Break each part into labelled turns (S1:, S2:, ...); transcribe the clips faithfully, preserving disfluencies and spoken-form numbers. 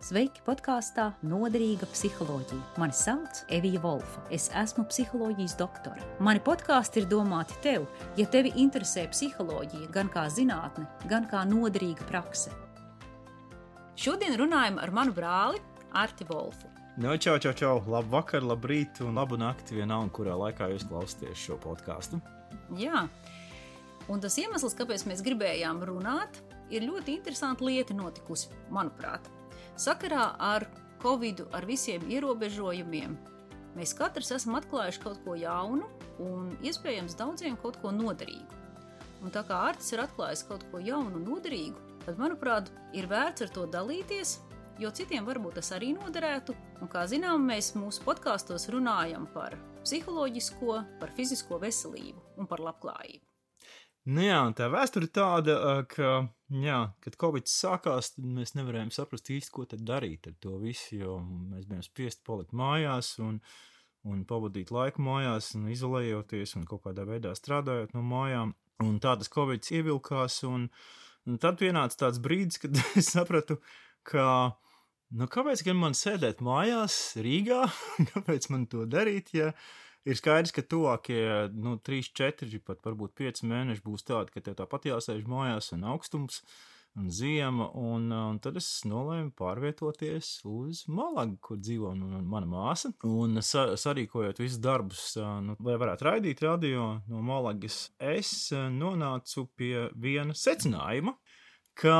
S1: Sveiki podkāstā Noderīga psiholoģija. Mani sauc Evija Volfa. Es esmu psiholoģijas doktore. Mani podkāsti ir domāti tev, ja tevi interesē psiholoģija gan kā zinātne, gan kā noderīga prakse. Šodien runājam ar manu brāli Arti Volfu.
S2: No, čau, čau, čau. Labu vakar, labu rītu un labu nakti vienalga, kurā laikā jūs klausāties šo podkāstu.
S1: Jā, un tas iemesls, kāpēc mēs gribējām runāt, ir ļoti interesanta lieta notikusi, manuprāt. Sakarā ar Covidu, ar visiem ierobežojumiem, mēs katrs esam atklājuši kaut ko jaunu un iespējams daudziem kaut ko noderīgu. Un tā kā Artis ir atklājis kaut ko jaunu un noderīgu, tad, manuprāt, ir vērts ar to dalīties, jo citiem varbūt tas arī noderētu. Un kā zinām, mēs mūsu podkāstos runājam par psiholoģisko, par fizisko veselību un par labklājību.
S2: Nu jā, un tā vēsture ir tāda, ka, jā, kad Covid sākās, tad mēs nevarējām saprast īsti, ko tad darīt ar to visu, jo mēs bijām spiesti palikt mājās un, un pavadīt laiku mājās un izolējoties un kaut kādā veidā strādājot no mājām. Un tā tas Covid ievilkās un, un tad pienāca tāds brīdis, kad es sapratu, ka, nu kāpēc gan man sēdēt mājās Rīgā, kāpēc man to darīt, ja ir skaidrs, ka tuvākie, nu, trīs, četri, pat varbūt pieci mēneši būs tādi, ka tev tāpat jāsēž mājās un augstums un ziema, un, un tad es nolēmu pārvietoties uz Malagu, kur dzīvo nu, mana māsa, un sa, sarīkojot visus darbus, nu, lai varētu raidīt radio no Malagas, es nonācu pie viena secinājuma, ka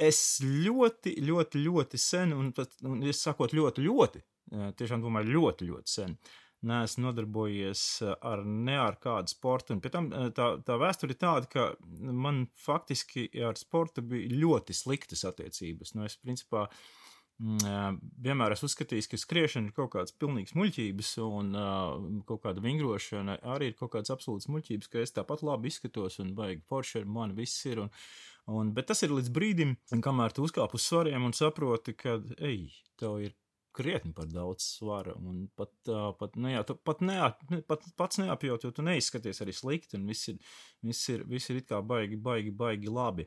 S2: es ļoti, ļoti, ļoti sen, un, un es sakot ļoti, ļoti, tiešām domāju ļoti, ļoti sen, neesmu nodarbojies ar ne ar kādu sportu, un pie tam tā, tā vēsture ir tāda, ka man faktiski ar sportu bija ļoti sliktas attiecības. Nu, es, principā, vienmēr esmu uzskatījis, ka skriešana ir kaut kāds pilnīgs muļķības, un kaut kāda vingrošana arī ir kaut kāds absolūts muļķības, ka es tāpat labi izskatos, un baigi forši ar mani viss ir, un, un, bet tas ir līdz brīdim, kamēr tu uzkāp uz svariem un saproti, ka, ej, tev ir krietni par daudz svara, un pat, uh, pat, ne, jā, tu, pat, neap, pat pats neapjūt, jo tu neizskaties arī slikti, un viss ir, viss ir, viss ir it kā baigi, baigi, baigi labi.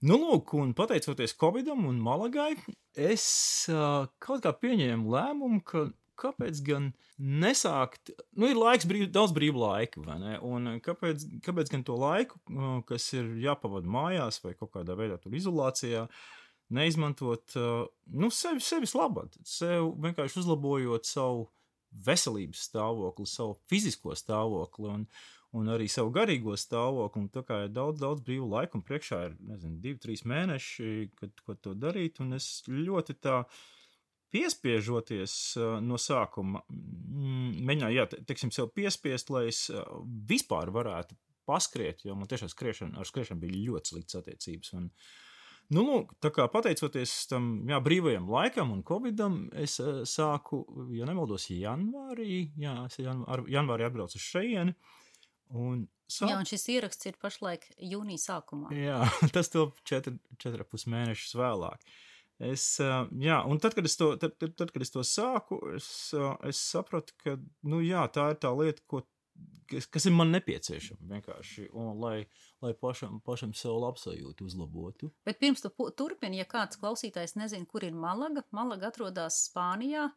S2: Nu, lūk, un pateicoties Covidam un Malagai, es uh, kaut kā pieņēmu lēmumu, ka kāpēc gan nesākt, nu, ir laiks, brīv, daudz brīvu laika, vai ne, un kāpēc, kāpēc gan to laiku, uh, kas ir jāpavada mājās vai kaut kādā veidā tur izolācijā, neizmantot, nu, sevi, sevis labad, sev vienkārši uzlabojot savu veselības stāvokli, savu fizisko stāvokli un, un arī savu garīgo stāvokli, un tā kā ir daudz, daudz brīvu laiku, un priekšā ir, nezinu, divi, trīs mēneši, kad, kad to darīt, un es ļoti tā piespiežoties no sākuma, mēģināju, jā, teiksim, sev piespiest, lai es vispār varētu paskriet, jo man tiešām skriešana, ar skriešanu bija ļoti sliktas attiecības, un nu, lūk, tā kā pateicoties tam, jā, brīvajam laikam un Covidam, es uh, sāku, ja nemaldos, janvārī, jā, es janvārī, janvārī atbraucu uz šeieni, un sāku...
S1: Jā, un šis ieraksts ir pašlaik jūnija sākumā.
S2: Jā, tas to četri, četri pus mēnešus vēlāk. Es, uh, jā, un tad, kad es to, tad, tad, tad, kad es to sāku, es, uh, es sapratu, ka, nu, jā, tā ir tā lieta, ko Kas, kas ir man nepieciešama vienkārši, un lai, lai pašam, pašam sev labsajūtu uzlabotu.
S1: Bet pirms tu turpini, ja kāds klausītājs nezin, kur ir Malaga, Malaga atrodas Spānijā,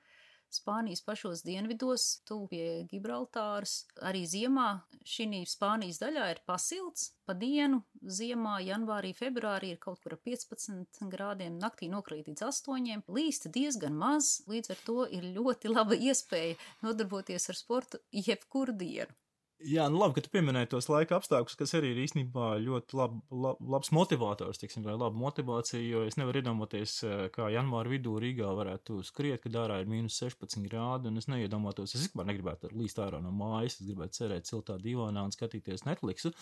S1: Spānijas pašos dienvidos, tuvu pie Gibraltāras. Arī ziemā šī Spānijas daļā ir pasilts, pa dienu ziemā, janvārī, februārī ir kaut kur piecpadsmit grādiem, naktī nokrīt līdz astoņiem, līst diezgan maz, līdz ar to ir ļoti laba iespēja nodarboties ar sportu jebkuru dienu.
S2: Jā, nu labi, ka tu pieminēji tos laika apstākļus, kas arī ir īstenībā ļoti lab, lab, labs motivators, tiksim, vai laba motivācija, jo es nevaru iedomāties, kā janvāra vidū Rīgā varētu skriet, kad ārā ir mīnus sešpadsmit grādi, un es neiedomātos, es vispār negribētu līst ārā no mājas, es gribētu cerēt siltā divānā un skatīties Netflixu,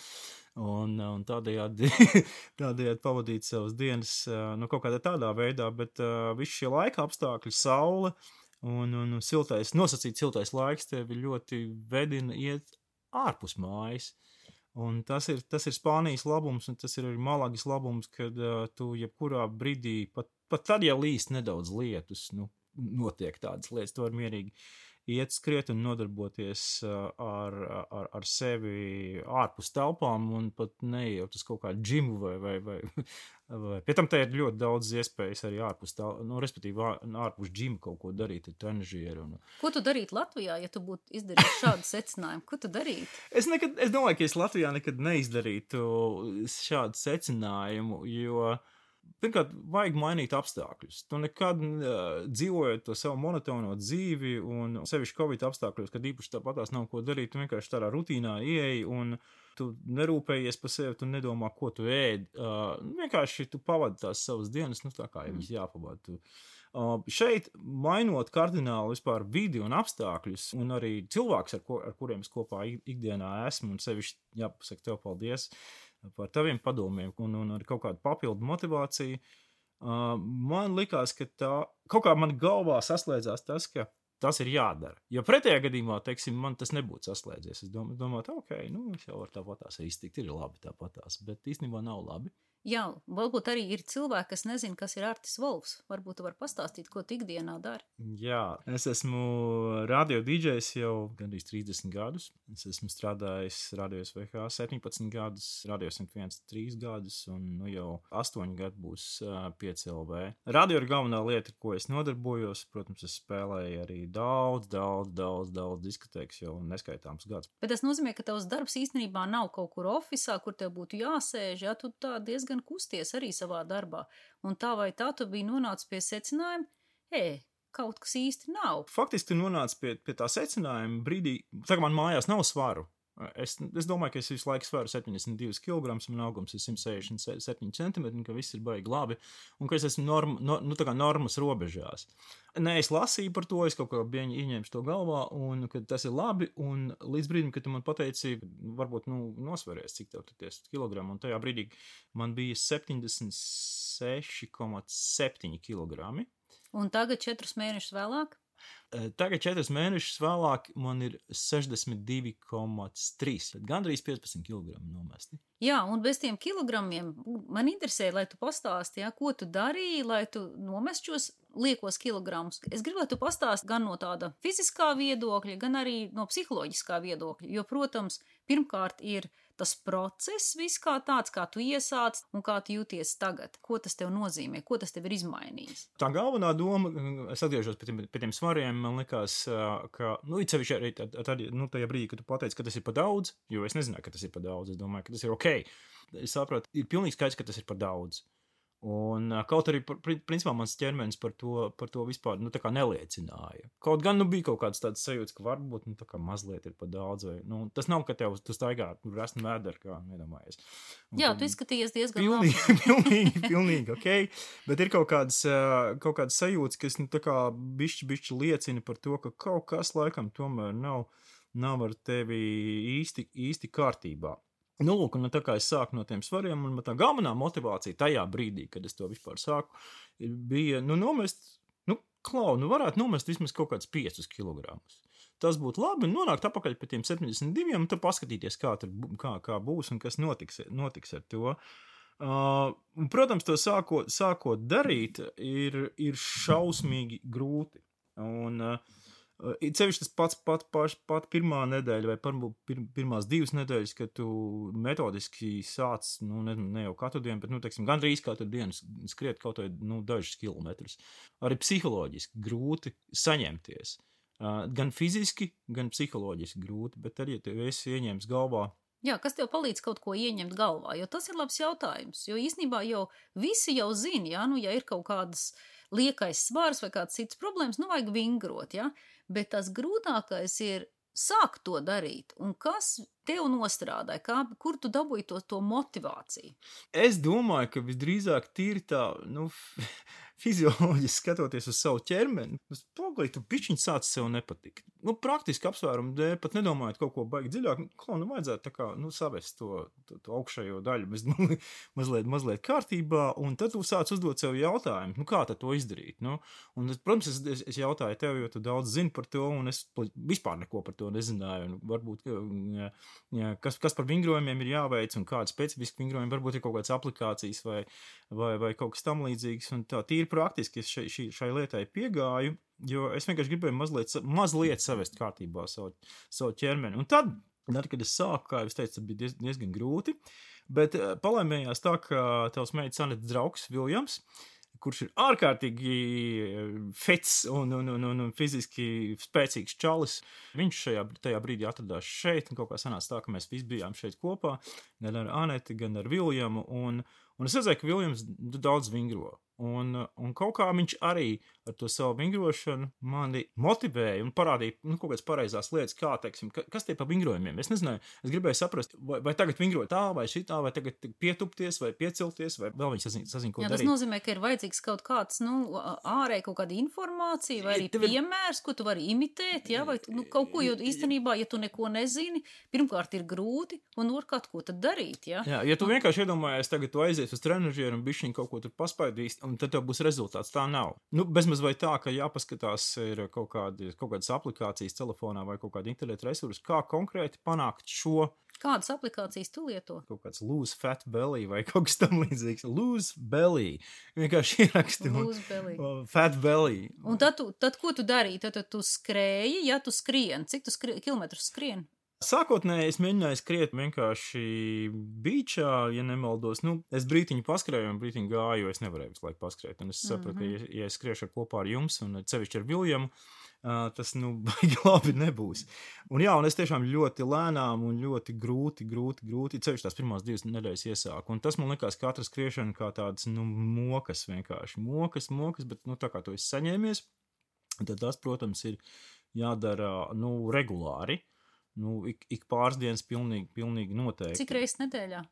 S2: un, un tādējādi, tādējādi pavadīt savas dienas, nu, kaut kādā tādā veidā, bet uh, visi šie laika apstākļi, saule un, un siltais, nosacīt siltais laiks tevi ļoti vedina iet ārpus mājas, un tas ir, tas ir Spānijas labums, un tas ir arī Malagas labums, kad uh, tu jebkurā brīdī, pat, pat tad jau līst nedaudz lietus, nu, notiek tādas lietas, tu var mierīgi iet skriet un nodarboties ar, ar, ar sevi ārpus telpām un pat neejot uz kaut kādu džimu vai, vai, vai, vai. Pie tam te ir ļoti daudz iespējas arī ārpus telpām, nu, respektīvi ārpus džimu kaut ko darīt ar trenažieru. Un...
S1: Ko tu darītu Latvijā, ja tu būtu izdarījis šādu secinājumu? Ko tu darītu?
S2: Es, nekad, es domāju, ka es Latvijā nekad neizdarītu šādu secinājumu, jo pirmkārt, vajag mainīt apstākļus. Tu nekad uh, dzīvojot to savu monotono dzīvi un sevišķi Covid apstākļos, kad īpaši tāpatās nav ko darīt, tu vienkārši tādā rutīnā ieeji un tu nerūpējies par sevi, tu nedomā, ko tu ēd. Uh, vienkārši tu pavadi tās savas dienas, nu tā kā jau viņas jāpavada. Tu. Uh, šeit, mainot kardināli vispār vidi un apstākļus un arī cilvēks, ar, ko, ar kuriem es kopā ikdienā esmu un sevišķi jāpasaka tev paldies, par taviem padomiem un, un ar kaut kādu papildu motivāciju. Uh, man likās, ka tā, kaut kā man galvā saslēdzās tas, ka tas ir jādara. Jo pretējā gadījumā, teiksim, man tas nebūtu saslēdzies. Es domāju, domāju ok, nu, es jau varu tāpatās iztikt, ir labi tāpatās, bet īstenībā nav labi.
S1: Jā, varbūt arī ir cilvēki, kas nezin, kas ir Artis Volfs. Varbūt tu vari pastāstīt, ko tu ikdienā dari.
S2: Jā, es esmu radio dīdžejs jau gandrīz trīsdesmit gadus. Es esmu strādājis Radio S V H septiņpadsmit gadus, Radio simt viens trīs gadus, un nu jau astoņi gadi būs uh, pieci L V. Radio ir galvenā lieta, ko es nodarbojos. Protams, es spēlēju arī daudz, daudz, daudz, daudz diskotēkas jau neskaitāms gadus.
S1: Bet tas nozīmē, ka tavs darbs īstenībā nav kaut kur ofisā, kur tev būtu jāsēž, ja tu tā diezgan kusties arī savā darbā. Un tā vai tā tu biji nonācis pie secinājuma, e, kaut kas īsti nav.
S2: Faktiski tu nonāci pie, pie tā secinājuma brīdī, tā kā man mājās nav svaru. Es, es domāju, ka es visu laiku svaru septiņdesmit divus kilogramus, man augums ir simt sešdesmit septiņi centimetri, ka viss ir baigi labi, un ka es esmu norma, no, nu, tā kā normas robežās. Nē, es lasīju par to, es kaut kā bieņi ieņēmu to galvā, un ka tas ir labi, un līdz brīdim, kad tu man pateici, varbūt, nu, nosveries, cik tev tie kilogramu, un tajā brīdī man bija septiņdesmit seši komats septiņi kilogrami.
S1: Un tagad četrus mēnešus vēlāk?
S2: Tagad četrus mēnešus vēlāk man ir sešdesmit divi komats trīs, gandrīz piecpadsmit kilogrami nomesti.
S1: Jā, un bez tiem kilogramiem man interesē, lai tu pastāsti, ja, ko tu darīji, lai tu nomest šos liekos kilogramus. Es gribu, lai tu pastāsti gan no tāda fiziskā viedokļa, gan arī no psiholoģiskā viedokļa, jo, protams, pirmkārt ir tas process viss kā tāds, kā tu iesāc un kā tu jūties tagad. Ko tas tev nozīmē? Ko tas tev ir izmainījis?
S2: Tā galvenā doma, es atgriežos pie tiem, pie tiem svariem, man likās, ka, nu, it sevišķi arī tad, tad, nu, tajā brīdī, kad tu pateici, ka tas ir par daudz, jo es nezināju, ka tas ir par daudz, es domāju, ka tas ir ok. Es saprotu, ir pilnīgi skaidrs, ka tas ir par daudz. Un kaut arī, principā, mans ķermenis par to, par to vispār, nu, tā kā neliecināja. Kaut gan, nu, bija kaut kāds tāds sajūts, ka varbūt, nu, tā kā mazliet ir par daudz, vai, nu, tas nav, ka tev, tu staigā, nu, resni vēderi, kā nedomājies. Un,
S1: jā, tu izskatījies diezgan
S2: pilnīgi,
S1: labi.
S2: pilnīgi, pilnīgi, ok, bet ir kaut kāds, kaut kāds sajūts, kas, nu, tā kā bišķi, bišķi liecina par to, ka kaut kas laikam tomēr nav, nav ar tevi īsti, īsti kārtībā. Nu, lūk, un tā kā es sāku no tiem svariem, un tā galvenā motivācija tajā brīdī, kad es to vispār sāku, bija, nu, nomest, nu, klau, nu, varētu nomest vismaz kaut kāds piecus kilogramus. Tas būtu labi, un nonākt apakaļ pie tiem septiņdesmit diviem, un tad paskatīties, kā, tur, kā, kā būs un kas notiks, notiks ar to. Uh, un, protams, to sākot, sākot darīt, ir, ir šausmīgi grūti. Un, uh, It sevišķi tas pats pat, pat, pat pirmā nedēļa vai par, pir, pirmās divas nedēļas, kad tu metodiski sāc, nu, ne, ne jau katru dienu, bet, nu, teiksim, gandrīz katru dienu skriet kaut vai, nu, dažus kilometrus. Arī psiholoģiski grūti saņemties. Uh, gan fiziski, gan psiholoģiski grūti, bet arī, ja tev esi ieņēmis galvā.
S1: Jā, kas tev palīdz kaut ko ieņemt galvā, jo tas ir labs jautājums, jo īstenībā jau visi jau zina, ja, nu, ja ir kaut kādas liekais svars vai kāds cits problēmas, nu, vajag vingrot, ja, bet tas grūtākais ir sākt to darīt, un kas tev nostrādāja, kā, kur tu dabūji to, to motivāciju?
S2: Es domāju, ka visdrīzāk tīri tā, nu, fizioloģiski skatoties uz savu ķermeni, es pagaļ, tu pišķiņ sāc sev nepatikt. Nu, praktiski apsvērumu dēļ, pat nedomājot kaut ko baigi dziļāk, kā, nu, vajadzētu tā kā, nu, savest to, to, to augšējo daļu bez, mazliet, mazliet kārtībā, un tad tu sāc uzdot sev jautājumu, nu, kā tad to izdarīt, nu, un, protams, es, es, es jautāju tev, jo tu daudz zini par to, un es vispār neko par to nezināju, un varbūt, jā, jā, kas, kas par vingrojumiem ir jāveic, un kāda specifiski vingrojumi, varbūt ir kaut kādas aplikācijas vai, vai, vai kaut kas tam līdzīgs, un tā tīri praktiski es šai, šai, šai lietai piegāju, jo es vienkārši gribēju mazliet, mazliet savest kārtībā savu, savu ķermeni. Un tad, tad, kad es sāku, kā jau es teicu, tas bija diez, diezgan grūti, bet palaimējās tā, ka tavs meitas Anetes draugs Viljams, kurš ir ārkārtīgi fits un, un, un, un, un fiziski spēcīgs čalis. Viņš šajā, tajā brīdī atradās šeit, un kaut kā sanāca tā, ka mēs visi bijām šeit kopā, gan ar Aneti, gan ar Viljamu, un, un es redzēju, ka Viljams daudz vingro. Un, un kaut kā viņš arī ar to savu vingrošanu mani motivēja un parādīja nu, kaut kādas pareizās lietas, kā, teiksim, kas tie pa vingrojumiem. Es nezināju, es gribēju saprast, vai, vai tagad vingrot tā, vai šitā, vai tagad pietupties, vai piecelties, vai vēl viņš sazina, sazina ko
S1: Jā,
S2: darīt.
S1: Tas nozīmē, ka ir vajadzīgs kaut kāds, nu, ārēji kaut kāda informācija, vai arī
S2: Tev ir...
S1: piemērs, ko tu vari imitēt, jā, vai nu, kaut ko, jo īstenībā, ja tu neko nezini, pirmkārt ir grūti, un otrkārt, ko tad darīt, jā?
S2: Jā, ja tu vienkārši iedomājies, tagad tu aizies uz trenažieru un bišķiņ kaut ko tur paspaidīs, un tad tev būs rezultāts. Tā nav. Nu, bezmaz vai tā, ka jāpaskatās ir kaut, kādi, kaut kādas aplikācijas telefonā vai kaut kāda interneta resursa, kā konkrēti panākt šo.
S1: Kādas aplikācijas tu lieto?
S2: Kaut kāds lose fat belly vai kaut kas tam līdzīgs. Lose belly. Vienkārši ieraksti.
S1: Lose belly.
S2: Fat belly.
S1: Un tad, tu, tad ko tu darīji? Tad, tad tu skrēji, ja tu skrien. Cik tu skri, kilometrus skrien?
S2: Sākotnēji es mēģināju skriet vienkārši beachā, ja nemaldos. Nu, es brītiņu paskrēju un brītiņu gāju, jo es nevarēju visu laiku paskrēt. Un es sapratu, mm-hmm. ka, ja, ja es skriešu kopā ar jums un sevišķi ar Viljamu, uh, tas, nu, baigi labi nebūs. Un jā, un es tiešām ļoti lēnām un ļoti grūti, grūti, grūti, sevišķi tās pirmās divas nedēļas iesāku. Un tas man likās katra skriešana kā tāds, nu, mokas vienkārši. Mokas, mokas, bet, nu, tā kā to es saņēmies, tad tas, protams, ir jādara, nu, regulāri. Nu, ik, ik pāris dienas pilnīgi, pilnīgi noteikti.
S1: Cik reizes nedēļā?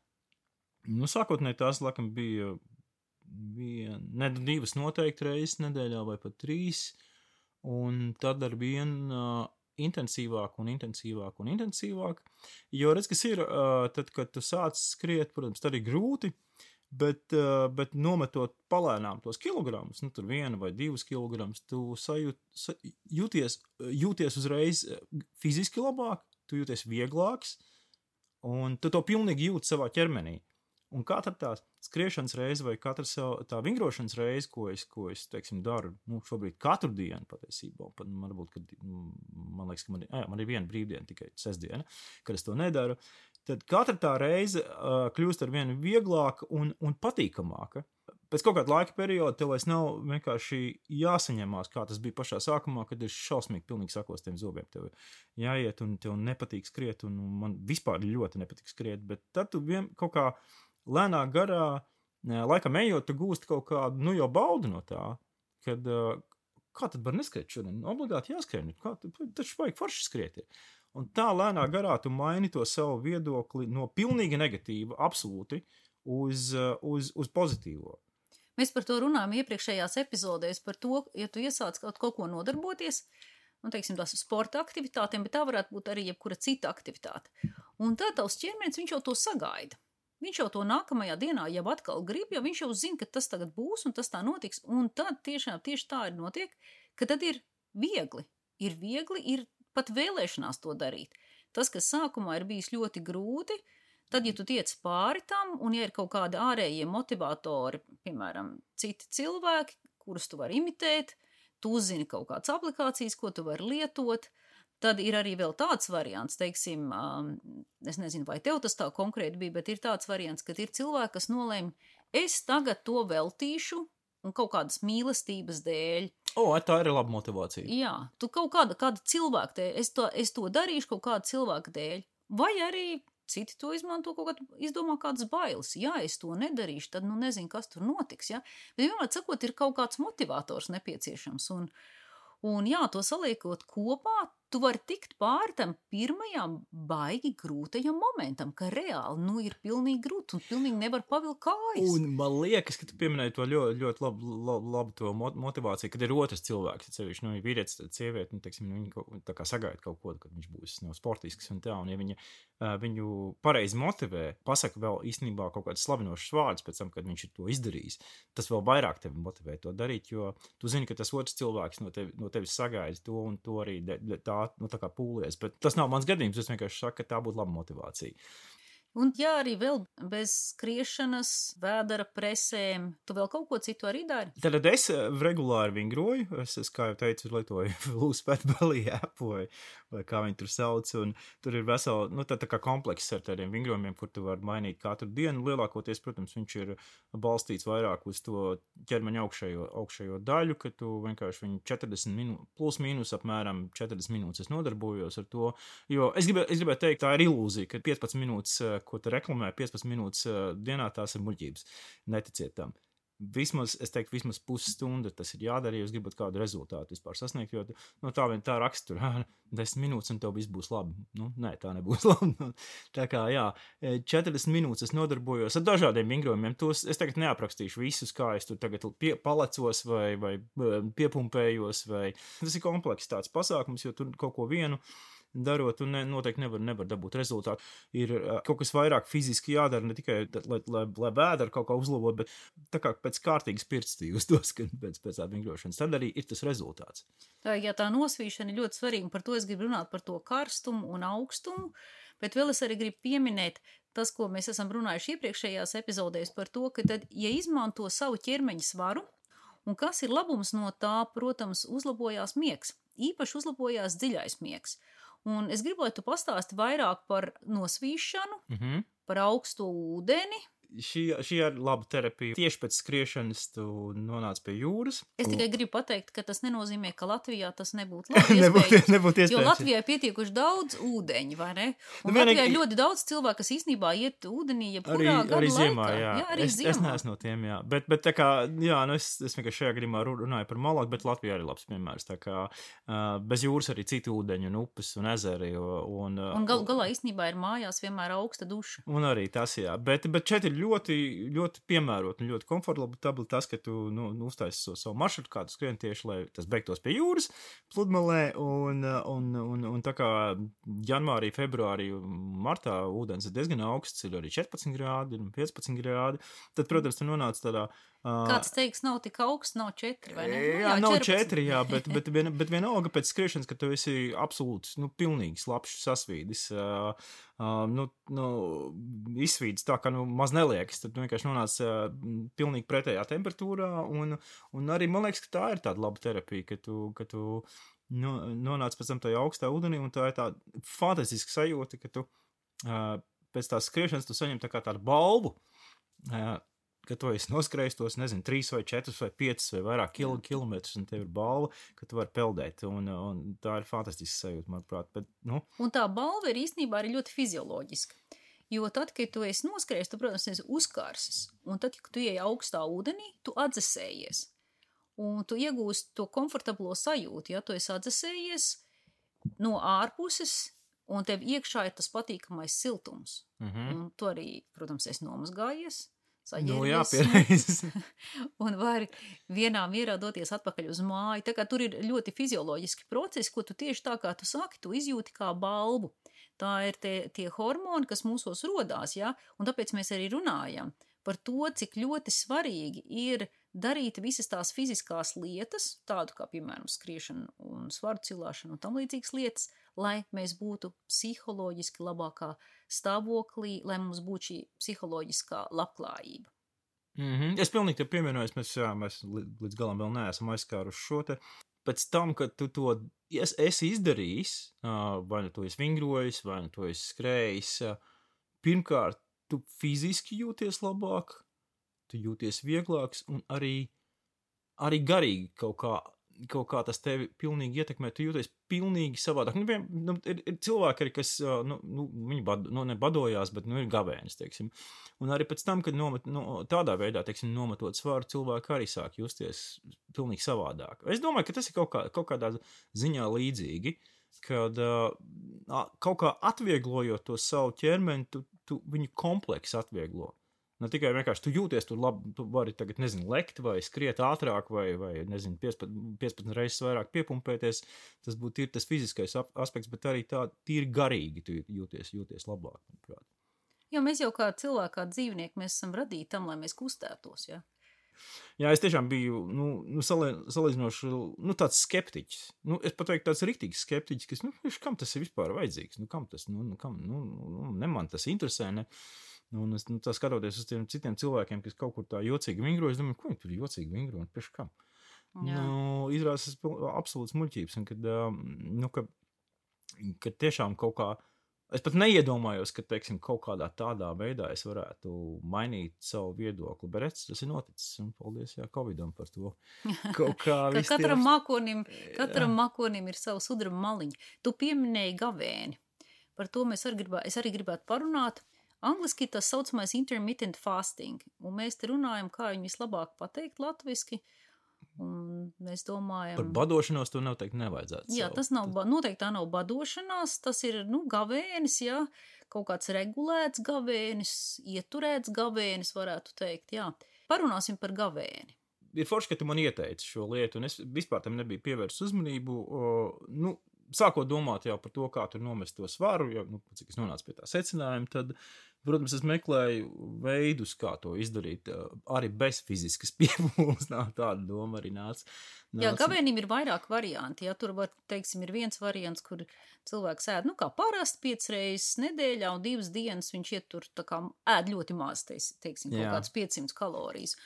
S2: Nu, sākotnēji tās, laikam, bija, bija ne, divas noteikti reizes nedēļā vai pat trīs, un tad ar vienu uh, intensīvāk un intensīvāk un intensīvāk. Jo, redz, kas ir, uh, tad, kad tu sāc skriet, protams, tad ir grūti, bet, uh, bet nometot palēnām tos kilogramus, nu, tur viena vai divas kilogramus, tu sajūt, sa, jūties, jūties uzreiz fiziski labāk, tu jūties vieglāks, un tu to pilnīgi jūti savā ķermenī. Un katra tā skriešanas reize vai katra tā vingrošanas reize, ko es, ko es teiksim, daru, nu, šobrīd katru dienu patiesībā, pat man varbūt, kad, man liekas, ka man, jā, man ir viena brīvdiena tikai sestdiena, kad es to nedaru, tad katra tā reize uh, kļūst ar vienu vieglāka un, un patīkamāka. Pēc kaut kāda laika perioda tev vairs nav vienkārši jāsaņemās, kā tas bija pašā sākumā, kad ir šausmīgi pilnīgi sakostiem zobiem. Tev jāiet un tev nepatīk skriet, un man vispār ļoti nepatīk skriet, bet tad tu vien kaut kā lēnā garā, laikam ejot, tu gūsti kaut kādu, nu jau baudu no tā, kad, kā tad var neskriet šodien? Obligāti jāskrien, kā, taču vajag forši skriet ir. Un tā lēnā garā tu maini to savu viedokli no pilnīgi negatīva, absolūti, uz, uz, uz pozitīvo.
S1: Mēs par to runājam iepriekšējās epizodēs, par to, ja tu iesāc kaut, kaut ko nodarboties, nu, teiksim, tās sporta aktivitātēm, bet tā varētu būt arī jebkura cita aktivitāte. Un tad tavs ķermenis, viņš jau to sagaida. Viņš jau to nākamajā dienā jau atkal grib, jo viņš jau zina, ka tas tagad būs un tas tā notiks. Un tad tiešām tieši tā ir notiek, ka tad ir viegli. Ir viegli, ir pat vēlēšanās to darīt. Tas, kas sākumā ir bijis ļoti grūti, tad, ja tu tiec pāri tam, un ja ir kaut kādi ārējie motivatori, piemēram, citi cilvēki, kurus tu vari imitēt, tu uzzini kaut kādas aplikācijas, ko tu vari lietot, tad ir arī vēl tāds variants, teiksim, um, es nezinu, vai tev tas tā konkrēti bija, bet ir tāds variants, kad ir cilvēki, kas nolēma, es tagad to veltīšu un kaut kādas mīlestības dēļ.
S2: O, tā ir laba motivācija.
S1: Jā, tu kaut kāda, kāda cilvēka dēļ, es to, es to darīšu kaut kāda cilvēka dēļ, vai arī citi to izmanto kaut kādā, izdomā kādas bailes. Ja es to nedarīšu, tad nu nezinu, kas tur notiks, ja? Bet vienmēr sakot, ir kaut kāds motivators nepieciešams. Un, un jā, to saliekot kopā, tu vari tikt pāri tam pirmajām baigi grūtajam momentam, ka reāli, nu, ir pilnīgi grūti un pilnīgi nevar pavilkt kājas.
S2: Un man liekas, ka tu pieminēji to ļoti, ļoti labu, labu, labu to motivāciju, kad ir otrs cilvēks, sevišķi, nu, vīrietis, sieviete, nu, teiksim, viņi kaut, tā kā sagaida kaut ko, kad viņš būs no sportisks un tā, un ja viņa uh, viņu pareizi motivē, pasaka vēl īstenībā kaut kāds slavinošs vārds pēc tam, kad viņš ir to izdarījis, tas vēl vairāk tevi motivē to darīt, jo tu zini, ka tas otrs cilvēks no, tevi, no tevis sagaida to un to arī de, de, tā, nu, tā kā pūlies, bet tas nav mans gadījums, es vienkārši saku, ka tā būtu laba motivācija.
S1: Un jā, arī vēl bez skriešanas, vēdera presēm, tu vēl kaut ko citu arī dari?
S2: Tad es regulāri vingroju, es, es kā jau teicu, lietoju Loose Fat Belly äpu vai, vai kā viņi tur sauc, un tur ir vesela, nu tā, tā kā komplekss ar tādiem vingrojumiem, kur tu vari mainīt katru dienu. Lielākoties, protams, viņš ir balstīts vairāk uz to ķermeņa augšējo, augšējo daļu, ka tu vienkārši viņu četrdesmit minūtes, plus mīnus apmēram četrdesmit minūtes es nodarbojos ar to, jo es gribēju, es gribēju teikt, tā ir ilūzija, ka piecpadsmit minūtes, ko tu reklamē, piecpadsmit minūtes dienā, tās ir muļķības. Neticiet tam. Vismaz, es teiktu, vismaz pusstunda tas ir jādara, ja jūs gribat kādu rezultātu vispār sasniegt, jo no tā vien tā rakstur, desmit minūtes un tev viss būs labi. Nu, nē, tā nebūs labi. Tā kā, jā, četrdesmit minūtes es nodarbojos ar dažādiem vingrojumiem. Tos es tagad neaprakstīšu visus, kā es tur tagad pie, palecos vai, vai piepumpējos, vai tas ir komplekss tāds pasākums, jo tur kaut ko vienu darot, un ne, noteikti nevar, nevar dabūt rezultātu. Ir uh, kaut kas vairāk fiziski jādara, ne tikai, lai, lai, lai vēdera kaut kā uzlabot, bet tā kā pēc kārtīgas pirksti jūs tos, kad pēc, pēc tā vingrošanas, tad arī ir tas rezultāts.
S1: Tā, ja tā nosvīšana ir ļoti svarīga, par to es gribu runāt par to karstumu un augstumu, bet vēl es arī gribu pieminēt tas, ko mēs esam runājuši iepriekšējās epizodēs par to, ka tad, ja izmanto savu ķermeņa svaru, un kas ir labums no tā, protams, uzlabojās miegs. Īpaši uzlabojās dziļais miegs. Un es gribu, lai tu pastāsti vairāk par nosvīšanu,
S2: Mm-hmm.
S1: par augstu ūdeni.
S2: Šī, šī ir laba terapija. Tieši pēc skriešanas tu nonāc pie jūras.
S1: Es tikai gribu pateikt, ka tas nenozīmē, ka Latvijā tas nebūtu labi
S2: nebūtu,
S1: iespējams.
S2: nebūtu iespējams.
S1: Jo Latvijā ir pietiekuši daudz ūdeņu, vai ne? Un
S2: Nu,
S1: Latvijā ir
S2: vienīgi-
S1: ļoti daudz cilvēku, kas īstenībā iet ūdenī, ja
S2: Arī,
S1: kurā gada
S2: arī ziemā,
S1: laikā.
S2: jā.
S1: jā arī
S2: es,
S1: ziemā.
S2: es neesmu no tiem, jā. Bet, bet tā kā, jā, nu es, es vienkārši šajā gadījumā ru- runāju par Malagu, bet Latvijā arī labs piemērs. Tā kā uh, bez jūras arī citi ūdeņi un upes un ezeri. Un, uh,
S1: Un gal, galā īstenībā ir mājās vienmēr augsta duša.
S2: Un arī tas, jā. Bet, bet šeit ir ļoti, ļoti piemērot un ļoti komfortabli tas, ka tu nu, nu, uztaisi so, savu maršrutu, kādu skrien tieši, lai tas beigtos pie jūras, pludmalē. Un, un, un, un tā kā janvārī, februārī, martā ūdens ir diezgan augsts, ir arī četrpadsmit grādi un piecpadsmit grādi. Tad, protams, tu nonāc tādā. Uh,
S1: Kāds teiks, nav tik augsts, nav četri, vai ne? Nu,
S2: Jā, nav
S1: četrpadsmit.
S2: četri, jā, bet, bet, vien, bet vienalga pēc skriešanas, ka tu esi absolūts, nu, pilnīgi slapšs sasvīdis, uh, uh, nu, nu, izsvīdis tā, ka, nu, maz neliekas, tad tu vienkārši nonāc uh, pilnīgi pretējā temperatūrā, un, un arī, man liekas, ka tā ir tāda laba terapija, ka tu, ka tu nu, nonāc pēc tam tajā augstā ūdenī, un tā ir tāda fantastiska sajūta, ka tu uh, pēc tās skriešanas tu saņem tā kā tādu balvu, uh, ka tu esi noskrējis tos, nezinu, trīs vai četrus vai piecus vai vairāk kil kilometrus, un tev ir balva, ka tu vari peldēt, un, un tā ir fantastiska sajūta, manuprāt. Bet, nu.
S1: Un tā balva ir īstenībā arī ļoti fizioloģiska. Jo tad, kad tu esi noskrējis, tu, protams, esi uzkārsis. Un tad, kad tu ieej augstā ūdenī, tu atdzesējies. Un tu iegūsti to komfortablo sajūtu, ja tu esi atdzesējies no ārpuses, un tev iekšā ir tas patīkamais siltums.
S2: Mhm.
S1: Un tu arī, protams, esi nomazgājies.
S2: Nu, jā, pierādījis.
S1: Un vari vienā mierā doties atpakaļ uz māju. Tā kā tur ir ļoti fizioloģiski procesi, ko tu tieši tā kā tu saki, tu izjūti kā balvu. Tā ir tie, tie hormoni, kas mūsos rodās, ja? Un tāpēc mēs arī runājam par to, cik ļoti svarīgi ir darīt visas tās fiziskās lietas, tādu kā, piemēram, skriešana un svaru cilāšana un tam līdzīgas lietas, lai mēs būtu psiholoģiski labākā stāvoklī, lai mums būtu šī psiholoģiskā labklājība.
S2: Mm-hmm. Es pilnīgi te pievienojos, mēs, jā, mēs līdz galam vēl neesam aizskāruši šo te. Pēc tam, kad tu to es, esi izdarījis, vai nu to esi vingrojis, vai nu to esi skrējis, pirmkārt, tu fiziski jūties labāk, tu jūties vieglāks un arī, arī garīgi kaut kā, kaut kā tas tevi pilnīgi ietekmē, tu jūties pilnīgi savādāk. Nu, vien, nu, ir, ir cilvēki arī, kas, nu, nu viņi bad, nu, nebadojās, bet, nu, ir gavēnis, teiksim. Un arī pēc tam, kad nomet, nu, tādā veidā, teiksim, nometot svaru, cilvēki arī sāk justies pilnīgi savādāk. Es domāju, ka tas ir kaut, kā, kaut kādā ziņā līdzīgi, kad uh, kaut kā atvieglojot to savu ķermeni, tu, tu viņu kompleksu atvieglo. Ne tikai vienkārši tu jūties tur labi, tu vari tagad, nezinu, lekt vai skriet ātrāk vai, vai nezinu, piecpadsmit reizes vairāk piepumpēties. Tas būtu ir tas fiziskais aspekts, bet arī tā tīri garīgi tu jūties, jūties labāk, manuprāt.
S1: Jo mēs jau kā cilvēki, kā dzīvnieki, mēs esam radīti tam, lai mēs kustētos, ja?
S2: Jā, es tiešām biju, nu, nu salīdzinoši, nu, tāds skeptiķis. Nu, es pat teiktu tāds riktīgs skeptiķis, kas, nu, kam tas ir vispār vajadzīgs? Nu, kam tas, nu, nu kam, nu, nu ne man tas interesē, ne? Nu, un es, nu, tā skatoties uz tiem citiem cilvēkiem, kas kaut kur tā jocīgi vingro, es domāju, ko viņi tur jocīgi vingro, un pēc kam? Jā. Nu, izrādās absolūts muļķības, un kad, nu, ka, ka tiešām kaut kā, es pat neiedomājos, ka, teiksim, kaut kādā tādā veidā es varētu mainīt savu viedokli, bet redz, tas ir noticis, un paldies, jā, Covidam par to. Kaut kā
S1: ka katram, tie... makonim, katram makonim ir savu sudraba maliņu. Tu pieminēji gavēni. Par to mēs arī gribā, es arī gribētu parunāt. Angliski tas saucamais intermittent fasting, un mēs te runājam, kā viņu vislabāk pateikt latviski. Un mēs domājam...
S2: Par badošanos to noteikti nevajadzētu.
S1: Jā, tas nav, noteikti tā nav badošanās, tas ir, nu, gavēnis, jā, kaut kāds regulēts gavēnis, ieturēts gavēnis, varētu teikt, jā. Parunāsim par gavēni.
S2: Ir forši, ka tu man ieteici šo lietu, un es vispār tam nebiju pievērst uzmanību, o, nu, sākot domāt jau par to, kā tur nomest to svaru, jo, nu, cik es nonācu pie tā secinājuma, tad, protams, es meklēju veidus, kā to izdarīt, arī bez fiziskas piepūles, tāda doma arī nāca. nāca.
S1: Jā, gavēnim ir vairāk varianti, ja tur var, teiksim, ir viens variants, kur cilvēks ēd, nu, kā parasti piecas reizes nedēļā, un divas dienas viņš iet tur, tā kā ēd ļoti maz, teiksim, kaut kāds piecsimt kalorijas.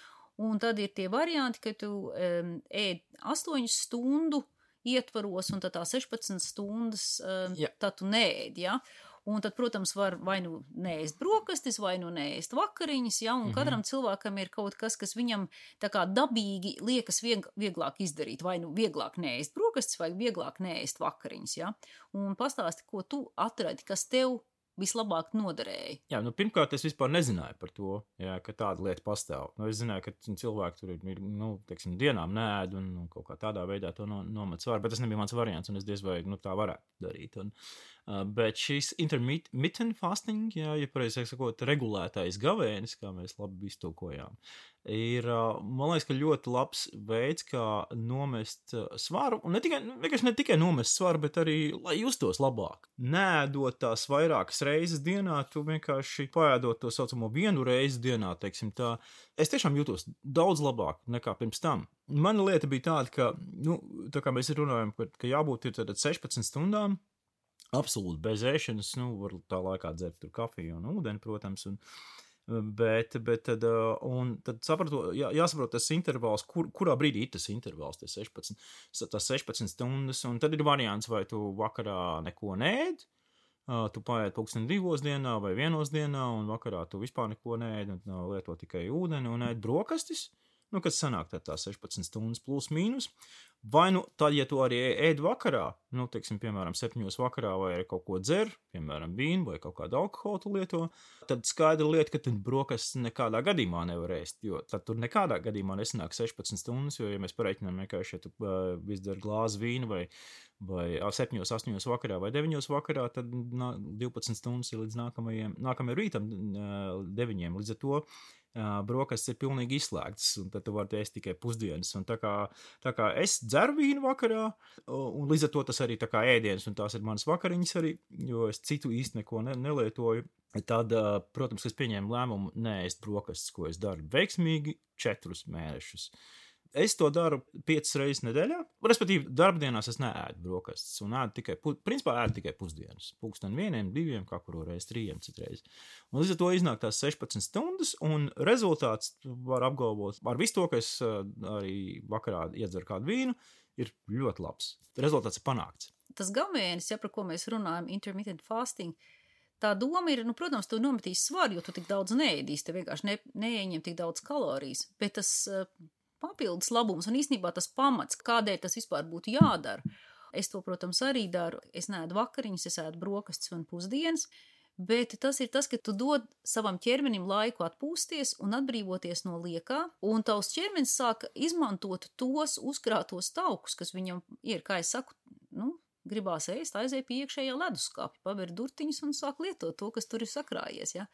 S1: Un tad ir tie varianti, ka tu um, ēd astoņu stundu ietvaros, un tad tā sešpadsmit stundas, um, tad tu neēd, ja? Un tad, protams, var vai nu neēst brokastis, vai nu neēst vakariņas, ja? Un mm-hmm. katram cilvēkam ir kaut kas, kas viņam tā kā dabīgi liekas vieg, vieglāk izdarīt, vai nu vieglāk neēst brokastis, vai vieglāk neēst vakariņas, ja? Un pastāsti, ko tu atradi, kas tev vislabāk noderēja.
S2: Jā, nu pirmkārt es vispār nezināju par to, jā, ka tāda lieta pastāv. Nu, es zināju, ka cilvēki tur ir, nu, teiksim, dienām neēd un nu, kaut kā tādā veidā to no, nomet svaru, bet tas nebija mans variants, un es diez vai, nu, tā varētu darīt. Un, uh, bet šis intermittent fasting, jā, ja pareizi sakot, regulētais gavēnis, kā mēs labi iztulkojām, ir, uh, man liekas, ka ļoti labs veids, kā nomest uh, svaru, un ne tikai, vienkārši ne tikai nomest svaru, bet arī, lai justos labāk. Nēdot tās vairākas reizes dienā, tu vienkārši paēdot to saucamo vienu reizi dienā, teiksim tā, es tiešām jūtos daudz labāk nekā pirms tam. Mana lieta bija tāda, ka, nu, tā kā mēs runājam, ka, ka jābūt ir tad sešpadsmit stundām, absolūti bez ēšanas, nu, var tā laikā dzert tur kafiju un ūdeni, protams, un Bet, bet tad, un tad sapratu, jā, jāsaprot tas intervāls, kur, kurā brīdī ir tas intervāls, tas sešpadsmit, tas sešpadsmit stundas, un tad ir variants, vai tu vakarā neko neēd, tu paēd pulksten divos dienā vai vienos dienā, un vakarā tu vispār neko neēd, un lieto tikai ūdeni un ēd brokastis, nu, kas sanāk tad tā sešpadsmit stundas plus mīnus, vai nu tad, ja tu arī ēd vakarā, nu, teiksim, piemēram, septiņos vakarā vai arī kaut ko dzer, piemēram, vīnu vai kaut kādu alkoholu tu lieto, tad skaidra lieta, ka tu brokastis nekādā gadījumā nevar ēst, jo tad tur nekādā gadījumā nesanāk sešpadsmit stundas, jo, ja mēs pareiķinām vienkārši, ja tu uh, izdzer glāzi vīnu vai, vai septiņos, astoņos vakarā vai deviņos vakarā, tad nā, divpadsmit stundas ir līdz nākamajiem, nākamajam rītam uh, deviņiem, līdz ar to Uh, brokastis ir pilnīgi izslēgts, un tad tu vari ēst tikai pusdienas. Un tā kā, tā kā es dzeru vīnu vakarā, un līdz ar to tas arī tā kā ēdienas, un tās ir manas vakariņas arī, jo es citu īsti neko ne, nelietoju. Tad, uh, protams, es pieņēmu lēmumu neēst brokastis, ko es daru veiksmīgi četrus mēnešus. Es to daru piecas reizes nedēļā, respektīvi darbdienās es neēdu brokastis un ēdu tikai, principā ēdu tikai pusdienas, pulksten vieniem, diviem, kā kuru reiz, trījiem citreiz. Un līdz ar to iznāk tās sešpadsmit stundas, un rezultāts var apgalvot ar visu to, ka es arī vakarā iedzeru kādu vīnu, ir ļoti labs. Rezultāts ir panākts.
S1: Tas gavēnis, ja par ko mēs runājam, intermittent fasting, tā doma ir, nu, protams, tu nometīs svaru, jo tu tik daudz neēdīs, te vienkārši ne, neieņem tik daudz kalorijas, bet tas papildus labums un īstenībā tas pamats, kādēļ tas vispār būtu jādara. Es to, protams, arī daru. Es neēdu vakariņas, es ēdu brokastis un pusdienas, bet tas ir tas, ka tu dod savam ķermenim laiku atpūsties un atbrīvoties no liekā, un tavs ķermenis sāk izmantot tos uzkrātos taukus, kas viņam ir, kā es saku, nu, gribās ēst, aizēj pie iekšējā leduskapja, paver durtiņus un sāk lietot to, kas tur ir sakrājies, ja.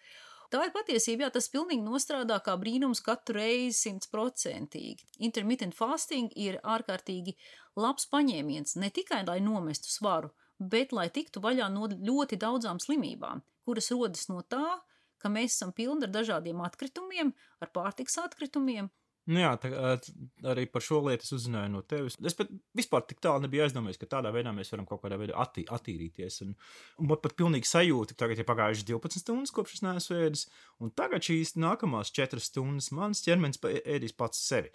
S1: Tā ir patiesība, jā, tas pilnīgi nostrādā kā brīnums katru reizi simtprocentīgi. Intermittent fasting ir ārkārtīgi labs paņēmiens, ne tikai lai nomestu svaru, bet lai tiktu vaļā no ļoti daudzām slimībām, kuras rodas no tā, ka mēs esam pilni ar dažādiem atkritumiem, ar pārtikas atkritumiem,
S2: Nu jā, tā, arī par šo lietu es uzzināju no tevis. Es pat vispār tik tālu nebiju aizdomājies, ka tādā veidā mēs varam kaut kādā veidā attī, attīrīties. Un, un man pat pilnīgi sajūta, ka tagad ir pagājušas divpadsmit stundas, kopš es neesmu ēdis, un tagad šīs nākamās četras stundas mans ķermenis ēdīs pats sevi.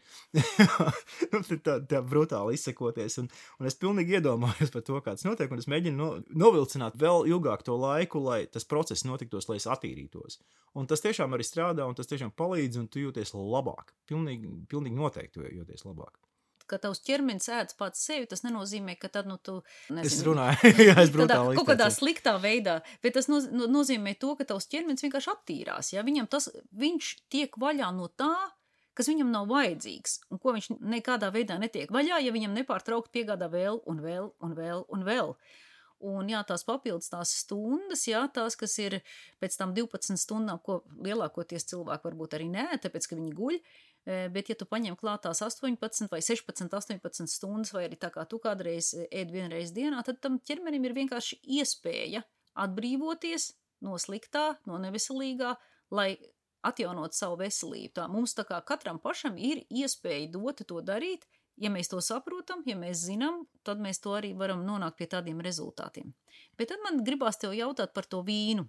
S2: Nu, tā, tā brutāli izsekoties, un, un es pilnīgi iedomājos par to, kā tas notiek, un es mēģinu no, novilcināt vēl ilgāk to laiku, lai tas process notiktos, lai es attīrītos. Un tas tiešām arī strādā, un tas tiešām palīdz, un tu jūties labāk. Pilnīgi, pilnīgi noteikti jūties labāk.
S1: Ka tavs ķermenis ēdz pats sevi, tas nenozīmē, ka tad, nu, tu, nezinu,
S2: es runāju, jā, es brutāli
S1: izteicos. Kaut kādā sliktā veidā, bet tas noz, no, nozīmē to, ka tavs ķermenis vienkārši attīrās, ja viņam tas, viņš tiek vaļā no tā, kas viņam nav vajadzīgs, un ko viņš nekādā veidā netiek vaļā, ja viņam nepārtraukt piegādā vēl un vēl un vēl un vēl. Un jā, tās papildus tās stundas, jā, tās, kas ir pēc tam divpadsmit stundām, ko lielākoties cilvēki varbūt arī nē, tāpēc, ka viņi guļ, bet ja tu paņem klāt tās astoņpadsmit vai sešpadsmit, astoņpadsmit stundas, vai arī tā kā tu kādreiz ēd vienreiz dienā, tad tam ķermenim ir vienkārši iespēja atbrīvoties no sliktā, no neveselīgā, lai atjaunot savu veselību. Tā mums tā kā katram pašam ir iespēja dota to darīt. Ja mēs to saprotam, ja mēs zinām, tad mēs to arī varam nonākt pie tādiem rezultātiem. Bet tad man gribās tev jautāt par to vīnu.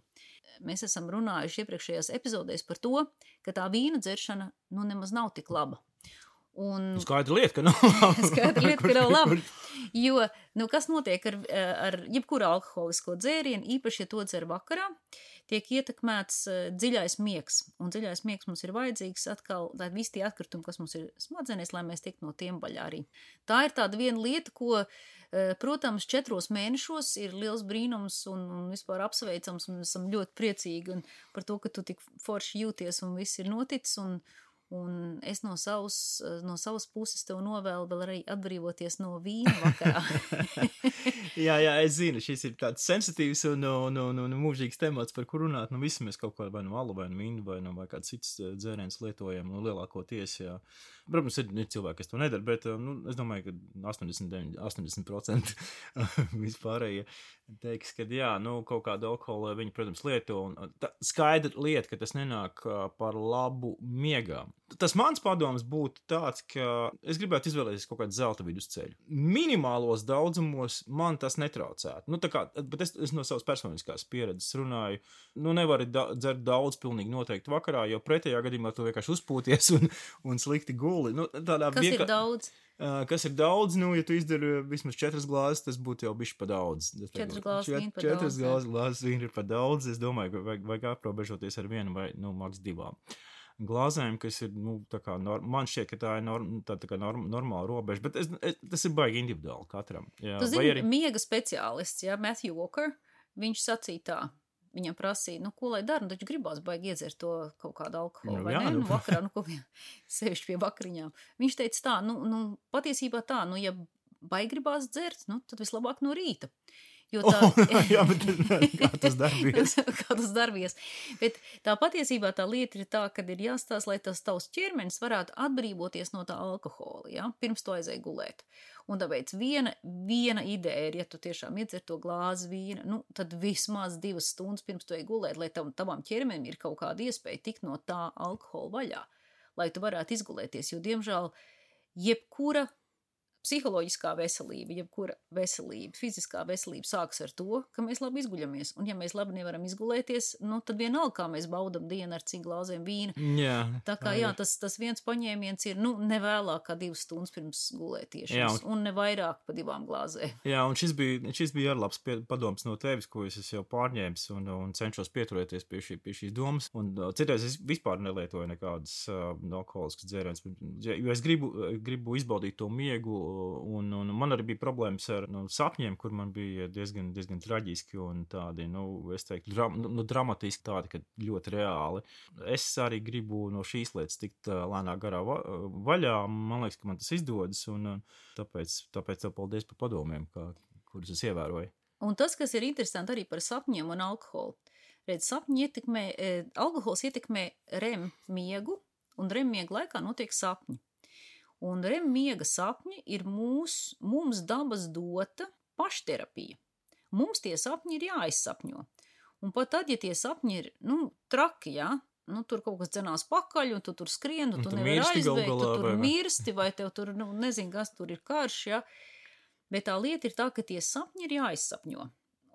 S1: Mēs esam runājuši iepriekšējās epizodēs par to, ka tā vīna dzeršana nu nemaz nav tik laba. Un...
S2: Skaidra lieta, ka nav laba.
S1: Skaidra lieta, ka nav laba. Jo, nu, kas notiek ar, ar jebkuru alkoholisko dzērienu, īpaši, ja to dzer vakarā, tiek ietekmēts dziļais miegs. Un dziļais miegs mums ir vajadzīgs atkal, lai visi tie atkritumi, kas mums ir smadzenēs, lai mēs tiek no tiem vaļā arī. Tā ir tāda viena lieta, ko, protams, četros mēnešos ir liels brīnums un, un vispār apsveicams, un esam ļoti priecīgi un par to, ka tu tik forši jūties un viss ir noticis, un Un es no savas, no savas puses tev novēlu vēl arī atbrīvoties no vīna vakarā.
S2: jā, jā, es zinu, šis ir tāds sensitīvs un, un, un, un mūžīgs temats, par kur runāt. Nu, visi mēs kaut ko vai no alu, vai no vīnu, vai no vai kāds cits dzēriens lietojam, nu, lielākoties, jā. Protams, ir, ir cilvēki, kas to nedara, bet, nu, es domāju, ka astoņdesmit, astoņdesmit procenti vispārējie teiks, ka jā, nu, kaut kādu alkoholu viņi, protams, lieto, un tā skaidra lieta, ka tas nenāk par labu miegām. Tas mans padoms būtu tāds, ka es gribētu izvēlēties kaut kādu zelta vidusceļu. Minimālos daudzumos man tas netraucētu. Nu, tā kā, bet es, es no savas personiskās pieredzes runāju, nu, nevari da- dzert daudz pilnīgi noteikti vakarā, jo pretējā gadījumā tu vienkārši uzpūties un, un slikti guli. Nu, tādā
S1: kas
S2: vienka...
S1: ir daudz?
S2: Uh, kas ir daudz, nu, ja tu izdari vismaz četras glāzes, tas būtu jau bišķi pa daudz.
S1: Četras glāzes vīna pa
S2: četras
S1: daudz.
S2: Četras glāzes vīna ir pa daudz, es domāju, ka vajag, vajag aprobežoties ar vienu vai, nu, maks divām glāzēm, kas ir, nu, tā kā, norm, man šķiet, ka tā ir norm, tā, tā kā norm, normāla robeža, bet es, es, tas ir baigi individuāli katram. Jā,
S1: tu zini,
S2: arī...
S1: miega speciālists, jā, Matthew Walker, viņš sacīja tā. Viņam prasīja, nu, ko lai dara, nu, taču gribās baigi iedzert to kaut kādu alkoholu,
S2: Nu,
S1: vai
S2: jā,
S1: ne?
S2: nu.
S1: Nu, vakarā, nu, ko vien, sevišķi pie vakariņām. Viņš teica tā, nu, nu, patiesībā tā, nu, ja baigi gribās dzert, nu, tad vislabāk no rīta. Jo tā,
S2: Oh, jā, bet kā tas darbies?
S1: kā tas darbies. Bet tā patiesībā tā lieta ir tā, kad ir jāstāsta, lai tas tavs ķermenis varētu atbrīvoties no tā alkohola, ja? Pirms to aizēja gulēt. Un tāpēc viena, viena ideja ir, ja tu tiešām iedzer to glāzi vīna, nu, tad vismaz divas stundas pirms tu ej gulēt, lai tav, tavam ķermenim ir kaut kāda iespēja tikt no tā alkohola vaļā, lai tu varētu izgulēties, jo, diemžēl, jebkura psiholoģiskā veselība, jebkura veselība, fiziskā veselība sākas ar to, ka mēs labi izguļamies. Un ja mēs labi nevaram izgulēties, nu, tad vienalga, kā mēs baudam dienu ar cik glāzēm vīna.
S2: Jā,
S1: tā kā, jā, tas, tas viens paņēmiens ir, nu, nevēlāk kā divas stundas pirms gulētiešanas, un... un ne vairāk pa divām glāzēm.
S2: Jā, un šis bija, šis bija arī labs pie, padoms no tevis, ko es jau pārņēmis un, un cenšos pieturēties pie, šī, pie šīs domas. Un uh, citreiz es vispār nelietoju nekādas uh, alkoholiskas dzērienas, jo es gribu, gribu izbaudīt to miegu. Un, un man arī bija problēmas ar nu, sapņiem, kur man bija diezgan, diezgan traģiski un tādi, nu, es teiktu, dram, nu, dramatiski tādi, ka ļoti reāli. Es arī gribu no šīs lietas tikt uh, lēnāk garā va vaļā. Man liekas, ka man tas izdodas, un uh, tāpēc, tāpēc tev paldies par padomiem, kā, kurus es ievēroju.
S1: Un tas, kas ir interesanti arī par sapņiem un alkoholu. Redz, sapņi ietekmē, eh, alkohols ietekmē rem miegu, un rem miega laikā notiek sapņi. Un rem miega sapņi ir mūs, mums dabas dota pašterapija. Mums tie sapņi ir jāizsapņo. Un pat tad, ja tie sapņi ir, nu, traki, jā, nu, tur kaut kas dzenās pakaļ, un tu tur skrien, un, un tu, tu nevari aizbeigt, tu tur
S2: vai...
S1: mirsti, vai tev tur, nu, nezinu, kas tur ir karš, ja. Bet tā lieta ir tā, ka tie sapņi ir jāizsapņo.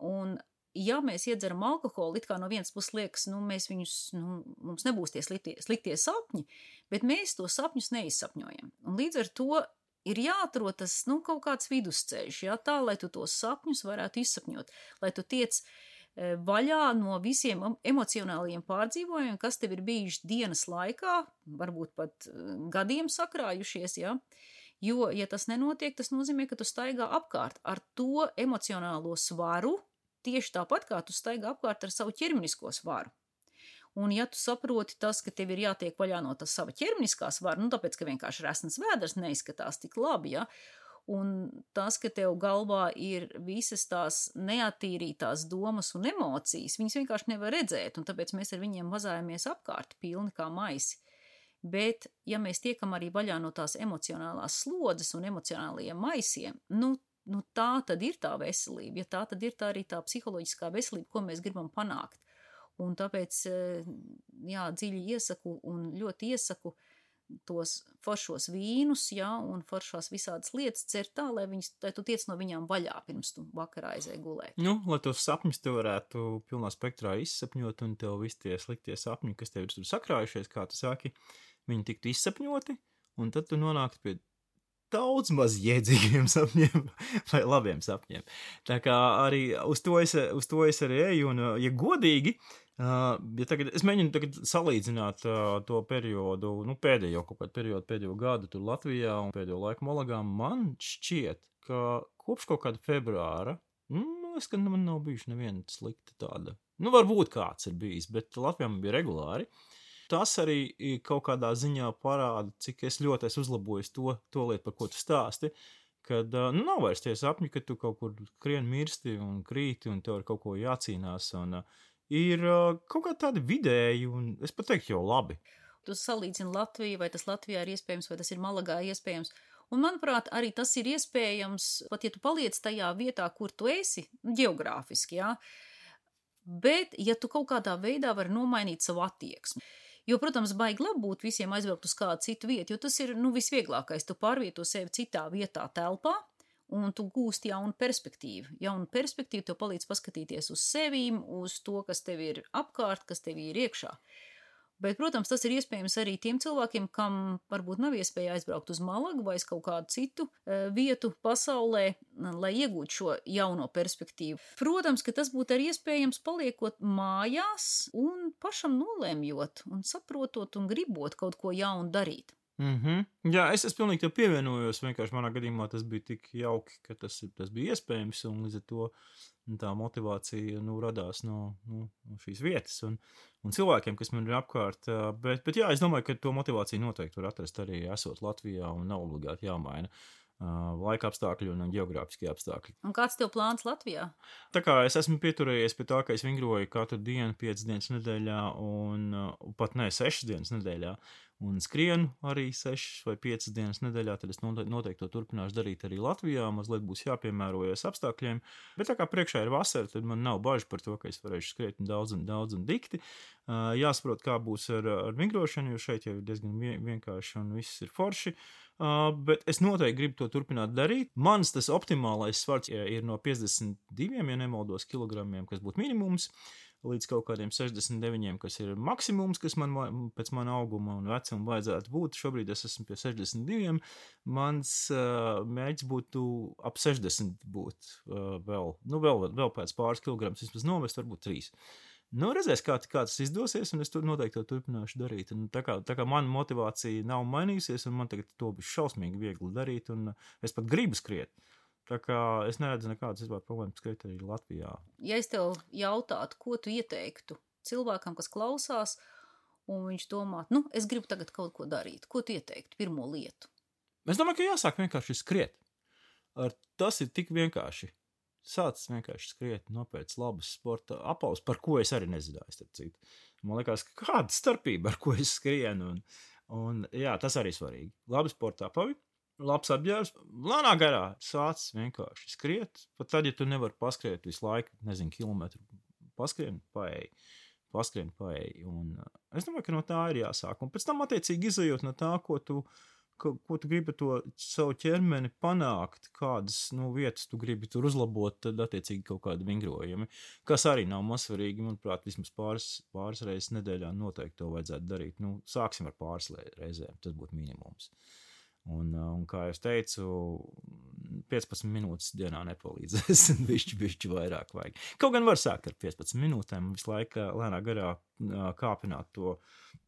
S1: Un, ja mēs iedzeram alkoholu, it kā no vienas puses liekas, nu, mēs viņus, nu, mums nebūs tie sliktie, sliktie sapņi, bet mēs to sapņus neizsapņojam. Un līdz ar to ir jāatrod tas, nu, kaut kāds vidusceļš, ja, tā, lai tu tos sapņus varētu izsapņot, lai tu tiec e, vaļā no visiem emocionālajiem pārdzīvojumiem, kas tev ir bijuši dienas laikā, varbūt pat e, gadiem sakrājušies, ja. Jo, ja tas nenotiek, tas nozīmē, ka tu staigā apkārt ar to emocionālo svaru, tieši tāpat kā tu staigā apkārt ar savu ķermenisko svaru. Un ja tu saproti tas, ka tev ir jātiek vaļā no tas sava ķermeniskā svara, nu tāpēc, ka vienkārši resnas vēders neizskatās tik labi, ja, un tas, ka tev galvā ir visas tās neattīrītās domas un emocijas, viņas vienkārši nevar redzēt, un tāpēc mēs ar viņiem vazājamies apkārt pilni kā maisi. Bet, ja mēs tiekam arī vaļā no tās emocionālās slodzes un emocionālajiem maisiem, nu, nu tā tad ir tā veselība, ja tā tad ir tā arī tā psiholoģiskā veselība, ko mēs gribam panākt. Un tāpēc, jā, dziļi iesaku un ļoti iesaku tos foršos vīnus, jā, un foršās visādas lietas cer tā, lai, viņas, lai tu tiec no viņām vaļā, pirms tu vakarā aizēji gulēt.
S2: Nu, lai tos sapņus tu varētu pilnā spektrā izsapņot, un tev visi tie sliktie sapņi, kas tev ir tur sakrājušies, kā tu saki, viņi tiktu izsapņoti, un tad tu nonāktu pie daudz maz jēdzīgiem sapņiem vai labiem sapņiem. Tā kā arī uz to es, uz to es arī eju, un, ja godīgi, uh, ja tagad, es mēģinu tagad salīdzināt uh, to periodu, nu, pēdējo kaut kādu periodu, pēdējo gadu tur Latvijā un pēdējo laiku Molagām, man šķiet, ka kopš kaut kāda februāra, nu, es, ka man nav bijuši neviena slikta tāda, nu, varbūt kāds ir bijis, bet Latvijā man bija regulāri. Tas arī kaut kādā ziņā parāda, cik es ļoti esmu uzlabojis to, to lietu, par ko tu stāsti, kad, nu, nav vairs tie sapņi, ka tu kaut kur krien mirsti un krīti un tev ar kaut ko jācīnās, un uh, ir uh, kaut kā tādi vidēji, un es pat teiktu jau labi.
S1: Tu salīdzini Latviju, vai tas Latvijā ir iespējams, vai tas ir Malagā iespējams, un, manuprāt, arī tas ir iespējams, pat ja tu paliec tajā vietā, kur tu esi, ģeogrāfiski, jā, bet, ja tu kaut kādā veidā vari nomainīt savu attieksmi. Jo, protams, baigi labi būt visiem aizbraukt uz kādu citu vietu, jo tas ir, nu, visvieglākais. Tu pārvieto sevi citā vietā telpā, un tu gūsti jaunu perspektīvu. Jaunu perspektīvu tev palīdz paskatīties uz sevīm, uz to, kas tev ir apkārt, kas tev ir iekšā. Bet, protams, tas ir iespējams arī tiem cilvēkiem, kam varbūt nav iespēja aizbraukt uz Malagu vai uz kaut kādu citu e, vietu pasaulē, lai iegūtu šo jauno perspektīvu. Protams, ka tas būtu arī iespējams paliekot mājās un pašam nolēmjot un saprotot un gribot kaut ko jaunu darīt.
S2: Mm-hmm. Jā, es, es pilnīgi tev pievienojos, vienkārši manā gadījumā tas bija tik jauki, ka tas, tas bija iespējams, un līdz ar to tā motivācija, nu, radās no, no, no šīs vietas un, un cilvēkiem, kas man ir apkārt, bet, bet jā, es domāju, ka to motivāciju noteikti var atrast arī esot Latvijā un nav obligāti jāmaina uh, laika apstākļi un geogrāfiskie apstākļi.
S1: Un kāds tev plāns Latvijā?
S2: Tā kā es esmu pieturējies pie tā, ka es vingroju katru dienu, piecas dienas nedēļā un uh, pat ne, sešas dienas nedēļā, un skrienu arī sešas vai piecas dienas nedēļā, tad es noteikti to turpināšu darīt arī Latvijā, mazliet būs jāpiemērojas apstākļiem, bet tā kā priekšā ir vasara, tad man nav bažu par to, ka es varēšu skriet daudz un daudz un dikti. Uh, jāsaprot, kā būs ar, ar vingrošanu, jo šeit jau ir diezgan vienkārši un viss ir forši, uh, bet es noteikti gribu to turpināt darīt. Mans tas optimālais svars ir no piecdesmit diviem, ja nemaldos, kilogramiem, kas būtu minimums, līdz kaut kādiem sešdesmit deviņiem, kas ir maksimums, kas man pēc mana auguma un vecuma vajadzētu būt. Šobrīd es esmu pie sešdesmit diviem. Mans uh, mērķis būtu ap sešdesmit būt uh, vēl, nu vēl, vēl pēc pāris kilograms, vismaz novest, varbūt trīs. Nu, redzēs, kā, kā tas izdosies, un es tur noteikti to turpināšu darīt. Un tā kā, tā kā mana motivācija nav mainījusies, un man tagad to būs šausmīgi viegli darīt, un es pat gribu skriet. Tā kā es neredzu nekādas vispār problēmas skriet arī Latvijā.
S1: Ja es tev jautātu, ko tu ieteiktu cilvēkam, kas klausās, un viņš domā, nu, es gribu tagad kaut ko darīt, ko tu ieteiktu, pirmo lietu?
S2: Es domāju, ka jāsāk vienkārši skriet. Ar tas ir tik vienkārši. Sācis vienkārši skriet, nopēc labas sporta apaus, par ko es arī nezināju, starp citu. Man liekas, ka kāda starpība, ar ko es skrienu, un, un jā, tas arī svarīgi. Labi sporta apavi. Labs apģērbs, lēnā garā sācis vienkārši skriet, pat tad, ja tu nevari paskriet visu laiku, nezinu, kilometru paskrien, paēj. paskrien paēji. Un es domāju, ka no tā ir jāsāk. Un pēc tam, attiecīgi, izejot no tā, ko tu Ko, ko tu gribi to savu ķermeni panākt, kādas nu, vietas tu gribi tur uzlabot, tad attiecīgi kaut kādi vingrojumi, kas arī nav mazsvarīgi, manuprāt, vismaz pāris, pāris reizes nedēļā noteikti to vajadzētu darīt. Nu, sāksim ar pāris reizēm, tas būtu minimums. Un, un kā jau teicu, piecpadsmit minūtes dienā nepalīdzēs, bišķi, bišķi vairāk vajag. Kaut gan var sākt ar piecpadsmit minūtēm, visu laiku lēnā garā kāpināt to,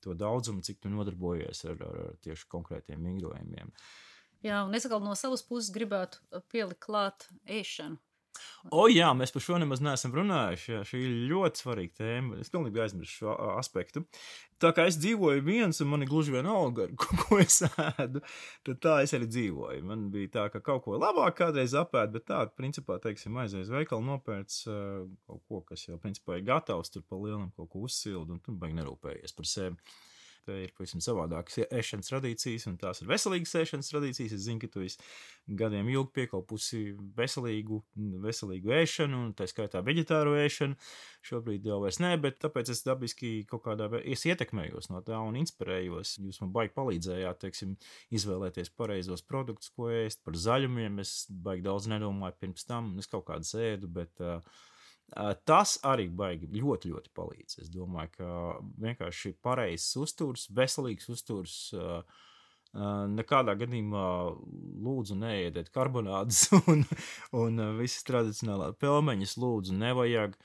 S2: to daudzumu, cik tu nodarbojies ar, ar, ar tieši konkrētiem vingrojumiem.
S1: Jā, un es atkal no savas puses gribētu pielikt klāt ēšanu.
S2: O jā, mēs par šo nemaz neesam runājuši, jā, šī ir ļoti svarīga tēma, es pilnīgi aizmirsu šo aspektu. Tā kā es dzīvoju viens un man ir gluži vienalga, ko, ko es ēdu, tad tā es arī dzīvoju. Man bija tā, ka kaut ko labāk kādreiz apēd, bet tā, principā, teiksim, aizies veikalu nopērts uh, kaut ko, kas jau, principā, ir gatavs, tur pa lielam kaut ko uzsildu un tu baigi nerūpējies par sevi. Te ir pavisam savādākas ēšanas tradīcijas, un tās ir veselīgas ēšanas tradīcijas. Es zinu, ka tu esi gadiem ilgi piekalpusi veselīgu, veselīgu ēšanu, un tā skaitā veģetāru ēšanu. Šobrīd jau vairs nē, bet tāpēc es dabiski kaut kādā veidā es ietekmējos no tā un inspirējos. Jūs man baigi palīdzējāt, teiksim, izvēlēties pareizos produktus, ko ēst, par zaļumiem. Es baigi daudz nedomāju pirms tam, es kaut kādas ēdu, bet... Uh, Tas arī baigi ļoti, ļoti palīdz. Es domāju, ka vienkārši pareizs uzturs, veselīgs uzturs, nekādā gadījumā lūdzu neēdiet karbonādus un, un visas tradicionālā pelmeņas lūdzu nevajag.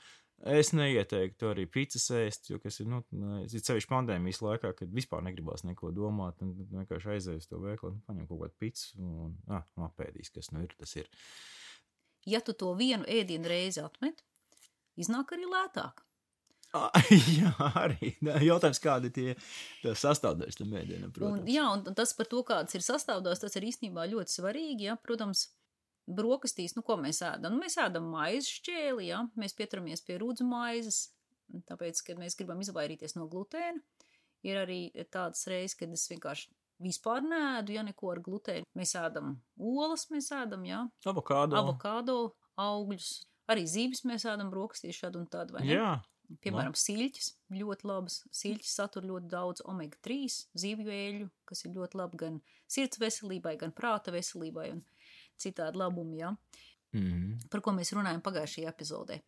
S2: Es neieteiktu arī picas ēst, jo kas ir, nu, ir sevišķi pandēmijas laikā, kad vispār negribās neko domāt, un vienkārši aizies to veikalu, paņem kaut kādu picu un ah, apēdīs, kas nu ir, tas ir.
S1: Ja tu to vienu ēdienu reizi atmet, iznāk arī lētāk.
S2: Ah, jā, arī. Jautājums, kādi tie sastāvdaļas tam ēdienam, protams.
S1: Un, jā, un tas par to, kāds ir sastāvdaļas, tas ir īstenībā ļoti svarīgi, ja, protams, brokastīs, nu, ko mēs ēdam? Mēs ēdam maizes šķēli, ja, mēs pieturamies pie rudzu maizes, tāpēc, kad mēs gribam izvairīties no glutēna. Ir arī tādas reizes, kad es vienkārši vispār neēdu, ja neko ar glutēnu. Mēs ēdam olas, mēs ēdam, jā.
S2: Avokādo.
S1: Avokādo, augļus. Arī zīves mēs ēdam brokastīs šādu un tādu, vai ne?
S2: Jā.
S1: Piemēram, siļķis, ļoti labas. Siļķis satur ļoti daudz omega trīs zīvju eļļu, kas ir ļoti labi gan sirds veselībai, gan prāta veselībai un citādi labumi, jā.
S2: Mm-hmm.
S1: Par ko mēs runājam pagājušajā epizodē.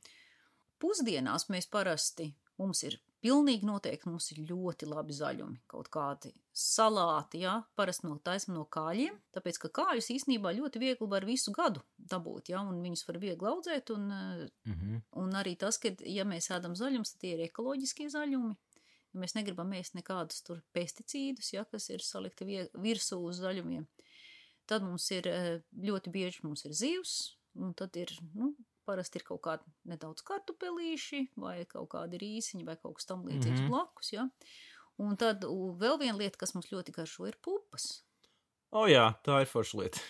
S1: Pusdienās mēs parasti, mums ir pilnīgi noteikti, mums ir ļoti labi zaļumi, kaut kādi salāti, jā, parasti no taisam no kāļiem, tāpēc, ka kāļus īstenībā ļoti viegli var visu gadu dabūt, jā, un viņus var viegli audzēt, un,
S2: mm-hmm.
S1: un arī tas, ka, ja mēs ēdam zaļums, tad tie ir ekoloģiskie zaļumi, ja mēs negribam ēst nekādus tur pesticīdus, jā, kas ir salikti virsū uz zaļumiem, tad mums ir ļoti bieži mums ir zivs, un tad ir, nu, parasti ir kaut kādi nedaudz kartupelīši vai kaut kādi rīsiņi vai kaut kas tam līdzīgs mm-hmm. blakus, ja. Un tad vēl viena lieta, kas mums ļoti garšo, ir pupas.
S2: O jā, tā ir forša lieta.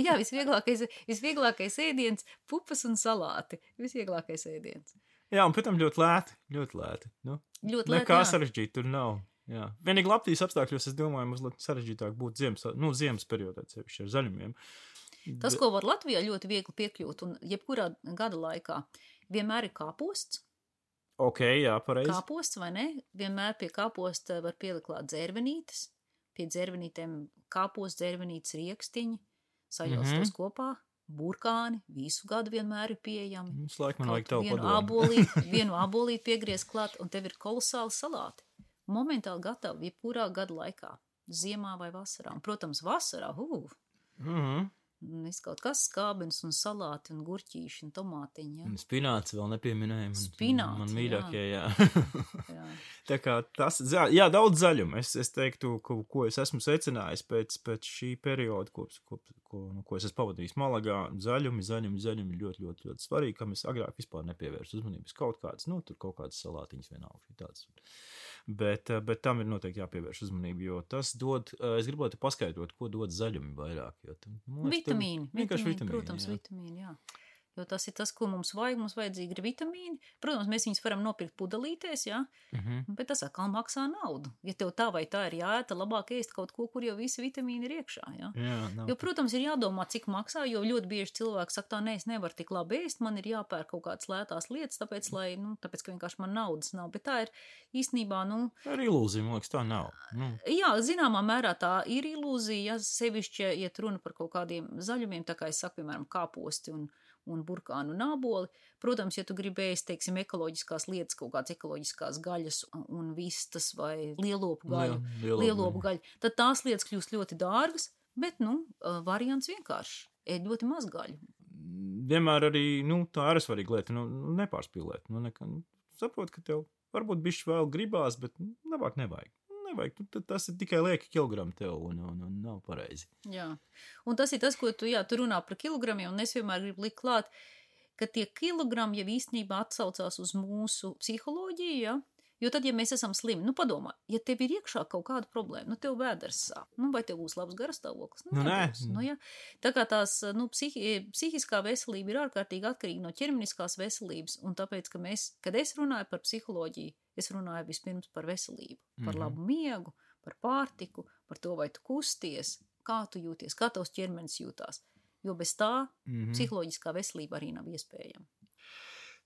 S1: Jā, visvieglākais, visvieglākais ēdiens, pupas un salāti. Visvieglākais ēdiens.
S2: Jā, un pēc tam ļoti lēti, ļoti lēti. Nu,
S1: ļoti lēti,
S2: nekā
S1: jā.
S2: sarežģīt tur nav. Jā. Vienīgi Latvijas apstākļos, es domāju, mazliet sarežģītāk būt ziemas, nu, ziemas periodā, sevišķi ar zaļumiem.
S1: Tas, ko var Latvijā ļoti viegli piekļūt, un jebkurā gada laikā, vienmēr ir kāposts.
S2: Ok, jā, pareizi.
S1: Kāposts, vai ne? Vienmēr pie kāposta var pielikt klāt dzērvenītes, pie dzērvenītēm kāposts, dzērvenītes riekstiņi, saļauts mm-hmm. tos kopā, burkāni, visu gadu vienmēr ir pieejami.
S2: Mums laik man vajag tavu
S1: vienu
S2: padomu.
S1: Abolīt, vienu abolīt piegriez klāt, un tev ir kolosāli salāti. Momentāli gatavi, jebkurā gada laikā, ziemā vai vasarā. Un, protams, vasarā, uh,
S2: Mhm.
S1: Viss kaut kas skābens un salāti un gurķīši un tomātiņi, ja.
S2: Un spināts vēl nepieminējam.
S1: Spināti,
S2: man mīļākie, jā.
S1: jā.
S2: Tā kā tas, jā, daudz zaļumu. Es, es teiktu, ko, ko es esmu secinājis pēc, pēc šī perioda, ko, ko, ko, nu, ko es esmu pavadījis Malagā. Zaļumi, zaļumi, zaļumi ļoti, ļoti, ļoti svarīgi, kam es agrāk vispār nepievērstu uzmanības. Kaut kāds, nu, tur kaut kādas salātiņas vienalga. Tāds. Bet, bet tam ir noteikti jāpievērš uzmanību, jo tas dod, es gribētu paskaidrot, ko dod zaļumi vairāk. Jo tam, nu,
S1: vitamīni,
S2: vienkārši
S1: vitamīni,
S2: vitamīni,
S1: protams,
S2: jā.
S1: vitamīni, jā. jo tas ir tas, ko mums vajag, mums vajadzīgi ir vitamīni. Protams, mēs viņus varam nopirkt pudelītēs, jā,
S2: Mhm.
S1: bet tas atkal maksā naudu. Ja tev tā vai tā ir jāēta, labāk ēst kaut ko, kur jau visi vitamīni ir iekšā, jā.
S2: Jā, nav.
S1: Jo, protams, ir jādomā, cik maksā, jo ļoti bieži cilvēki saka, tā, nē, es nevaru tik labi ēst, man ir jāpērk kaut kādas lētās lietas, tāpēc, lai, nu, tāpēc, ka vienkārši man naudas nav. Bet tā ir īstenībā, nu,
S2: Ar ilūziju, man liekas, tā nav. Nu,
S1: jā, zināmā mērā tā ir ilūzija, ja sevišķi iet runa par kaut kādiem zaļumiem, tā kā es saku, piemēram, kāposti un, un burkānu un āboli. Protams, ja tu gribēsi, teiksim, ekoloģiskās lietas, kaut kādas ekoloģiskās gaļas un vistas vai lielopu gaļu,
S2: Liel-
S1: lielopu gaļu, tad tās lietas kļūst ļoti dārgas, bet, nu, variants vienkārši. Ēd ļoti maz gaļu.
S2: vienmēr arī, nu, tā ir svarīga lieta, nu, nu, nepārspīlēt. Nu, nekā, nu, saprot, ka tev varbūt bišķi vēl gribās, bet nu, labāk nevajag. Nevajag, tu, tas ir tikai lieki kilogrami tev un, un, un nav pareizi.
S1: Jā, un tas ir tas, ko tu, jā, tu runā par kilogramiem, un es vienmēr gribu likt klāt, ka tie kilogrami jau īstenībā atsaucās uz mūsu psiholoģiju, jā, jo tad, ja mēs esam slimi, nu padomā, ja tev ir iekšā kaut kāda problēma, nu tev vēders sāp, nu vai tev būs labs garastāvoklis?
S2: Nu, nē.
S1: nebūs, nu jā. Tā kā tās, nu, psihi, psihiskā veselība ir ārkārtīgi atkarīga no ķermeniskās veselības, un tāpēc, ka mēs, kad es runāju par psiholoģiju, es runāju vispirms par veselību, par
S2: Mhm.
S1: labu miegu, par pārtiku, par to, vai tu kusties, kā tu jūties, kā tavs ķermenis jūtās. Jo bez tā
S2: Mhm.
S1: psiholoģiskā veselība arī nav iespējama.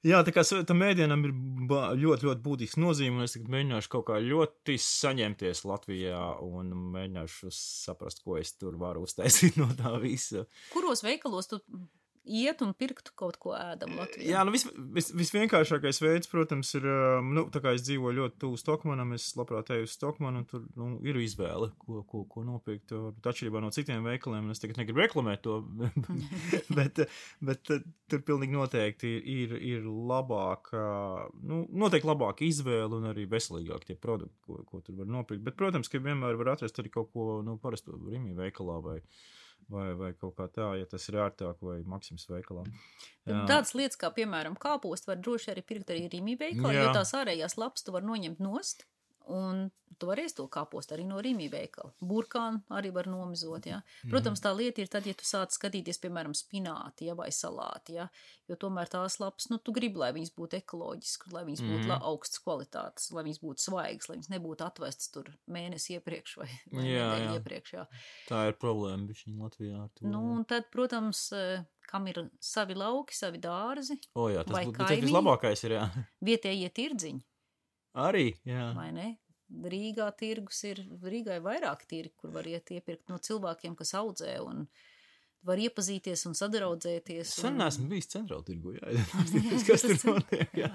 S2: Jā, tā kā s- tam mēdienam ir ba- ļoti, ļoti būtisks nozīme, un es tagad mēģināšu kaut kā ļoti saņemties Latvijā un mēģināšu saprast, ko es tur varu uztaisīt no tā visa.
S1: Kuros veikalos tu iet un pirktu kaut ko ēdam Latvijā?
S2: Jā, nu vis, vis, visvienkāršākais veids, protams, ir, um, nu, tā kā es dzīvoju ļoti tuvu Stokmanam, es labprāt eju uz Stokmanu, un tur, nu, ir izvēle, ko, ko, ko nopirkt, bet atšķirībā no citiem veikaliem, un es tagad negribu reklamēt to, bet, bet uh, tur pilnīgi noteikti ir, ir labāka, nu, noteikti labāka izvēle un arī veselīgāk tie produkti, ko, ko tur var nopirkt, bet, protams, ka vienmēr var atrast arī kaut ko, nu, parasto Rimi veikalā vai Vai, vai kaut kā tā, ja tas ir ērtāk, vai Maksims veikalā. Jā.
S1: Tādas lietas kā, piemēram, kāpostu var droši arī pirkt arī Rimi veikalā,
S2: Jā.
S1: jo tās ārējās lapas tu var noņemt nost, un tu vari ēst to kāpostu arī no Rimi veikala. Burkānu arī var nomizot, jā. Protams, tā lieta ir tad, ja tu sāc skatīties, piemēram, spināti, ja, vai salāti, ja, jo tomēr tās lapas, nu, tu gribi, lai viņas būtu ekoloģiskas, lai viņas būtu
S2: Mhm.
S1: la- augstas kvalitātes, lai viņas būtu svaigas, lai viņas nebūtu atvestas tur mēnesi iepriekš vai, vai
S2: Jā,
S1: nedēļu
S2: jā.
S1: iepriekš, jā.
S2: Tā ir problēma bišķiņ Latvijā ar to.
S1: Nu, un tad, protams, eh, kam ir savi lauki, savi dārzi,
S2: o jā, tas
S1: vai
S2: būtu, bet tas
S1: kaimiņi?
S2: vislabākais ir, jā.
S1: vietējie tirdziņi,
S2: Arī, jā.
S1: vai ne? Rīgā tirgus ir, Rīgā ir vairāk tirgi, kur var iet iepirkt no cilvēkiem, kas audzē un var iepazīties un sadraudzēties.
S2: Sen
S1: un,
S2: neesmu bijis centrāla tirgu, jā. Tas, kas tur
S1: Tas-
S2: notiek, jā.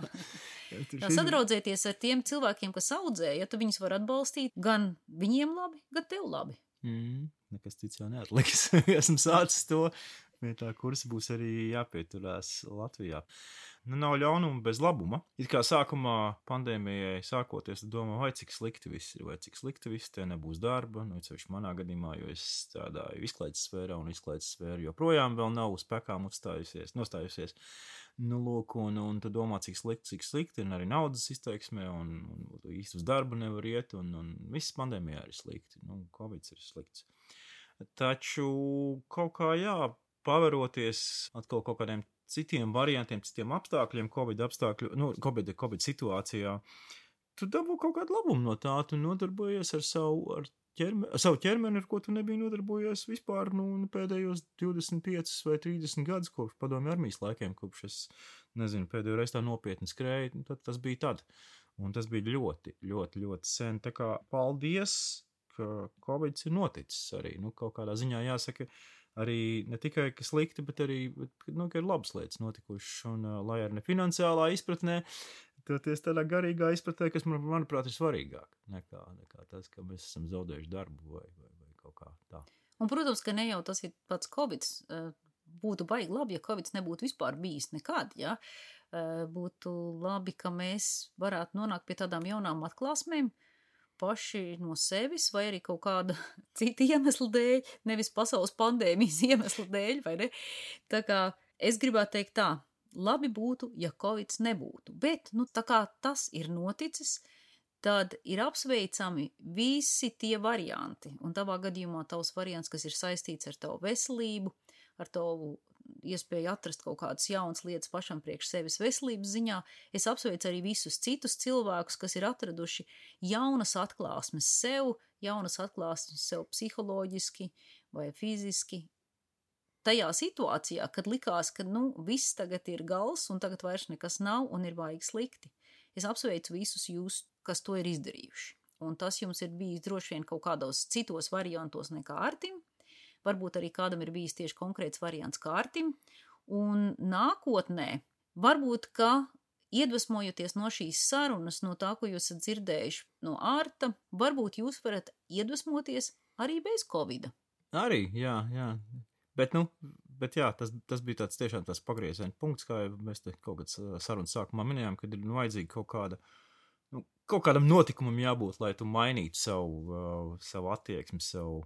S2: Tur
S1: jā,
S2: šis-
S1: sadraudzēties ar tiem cilvēkiem, kas audzē, ja tu viņus var atbalstīt, gan viņiem labi, gan tev labi.
S2: Mm, nekas cits jau neatliks. Esmu sācis to. Pie tā kursa būs arī jāpieturās Latvijā. Nu, nav ļaunuma bez labuma. It kā sākumā pandēmijai sākoties, domā, vai cik slikti viss ir, vai cik slikti viss, te nebūs darba. Nu, cevišķi manā gadījumā, jo es strādāju izklaides sfērā, un izklaides sfēra joprojām vēl nav uz pekām uzstājusies, nostājusies. Nu, lūk, un, un tu domā, cik slikti, cik slikti, un arī naudas izteiksmē, un, un, un īsti uz darbu nevar iet, un, un viss pandēmijā ir slikti. Nu, Covid ir slikts. Taču kaut kā, jā, paveroties atkal kaut kādiem citiem variantiem, citiem apstākļiem, Covid apstākļu, nu, Covid, Covid situācijā, tu dabū kaut kādu labumu no tā, tu nodarbojies ar savu, ar ķermeni, ar savu ķermeni, ar ko tu nebija nodarbojies vispār, nu, pēdējos divdesmit piecus vai trīsdesmit gadus kopš padomju armijas laikiem, kopš es, nezinu, pēdējo reizi tā nopietni skrēju, nu, tad tas bija tad. Un tas bija ļoti, ļoti, ļoti sen. Tā kā paldies, ka Covid ir noticis arī, nu, kaut kādā ziņā jāsaka, arī ne tikai, ka slikti, bet arī, bet, nu, ka ir labas lietas notikušas, un uh, lai arī ne finansiālā izpratnē, toties tādā garīgā izpratnē, kas, man, manuprāt, ir svarīgāk nekā, nekā tas, ka mēs esam zaudējuši darbu vai, vai, vai kaut kā tā.
S1: Un, protams, ka ne jau tas ir pats Covid. Būtu baigi labi, ja Covid nebūtu vispār bijis nekad, ja? Būtu labi, ka mēs varētu nonākt pie tādām jaunām atklāsmēm, paši no sevis, vai arī kaut kāda cita iemesla dēļ, nevis pasaules pandēmijas iemesla dēļ, vai ne? Tā kā es gribētu teikt tā, labi būtu, ja Covid nebūtu, bet, nu, tā kā tas ir noticis, tad ir apsveicami visi tie varianti, un tavā gadījumā tavs variants, kas ir saistīts ar tavu veselību, ar tavu iespēju atrast kaut kādas jaunas lietas pašam priekš sevis veselības ziņā. Es apsveicu arī visus citus cilvēkus, kas ir atraduši jaunas atklāsmes sev, jaunas atklāsmes sev psiholoģiski vai fiziski. Tajā situācijā, kad likās, ka nu, viss tagad ir gals un tagad vairs nekas nav un ir baigi slikti. Es apsveicu visus jūs, kas to ir izdarījuši. Un tas jums ir bijis droši vien kaut kādos citos variantos nekā Artim. Varbūt arī kādam ir bijis tieši konkrēts variants kā Artim. Un nākotnē, varbūt, ka iedvesmojoties no šīs sarunas, no tā, ko jūs esat dzirdējuši no Arta, varbūt jūs varat iedvesmoties arī bez Covida.
S2: Arī, jā, jā. Bet, nu, bet jā, tas, tas bija tāds tiešām tās pagrieziena punkts, kā mēs te kaut kāds sarunas sākumā minējām, kad ir nu, vajadzīga kaut kāda, nu, kaut kādam notikumam jābūt, lai tu mainītu savu, uh, savu attieksmi, savu,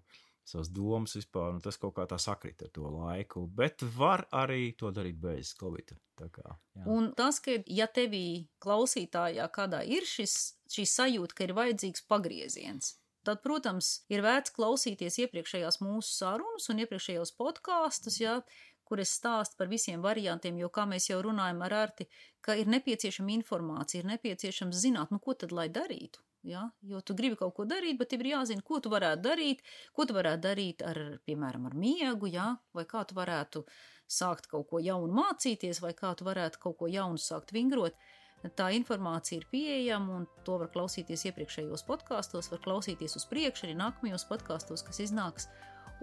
S2: savas domas vispār, un tas kaut kā tā sakrit ar to laiku, bet var arī to darīt bez Covida. Tā kā, jā.
S1: Un tas, ka ja tevī klausītājā kādā ir šis, šī sajūta, ka ir vajadzīgs pagrieziens, tad, protams, ir vērts klausīties iepriekšējās mūsu sarunas un iepriekšējos podkāstus, ja, kur es stāstu par visiem variantiem, jo, kā mēs jau runājam ar Arti, ka ir nepieciešama informācija, ir nepieciešams zināt, nu, ko tad lai darītu, ja, jo tu gribi kaut ko darīt, bet tev ir jāzina, ko tu varētu darīt, ko tu varētu darīt ar, piemēram, ar miegu, ja, vai kā tu varētu sākt kaut ko jaunu mācīties, vai kā tu varētu kaut ko jaunu sākt vingrot. Tā informācija ir pieejama, un to var klausīties iepriekšējos podkāstos, var klausīties uz priekšu, arī nākamajos podkāstos, kas iznāks,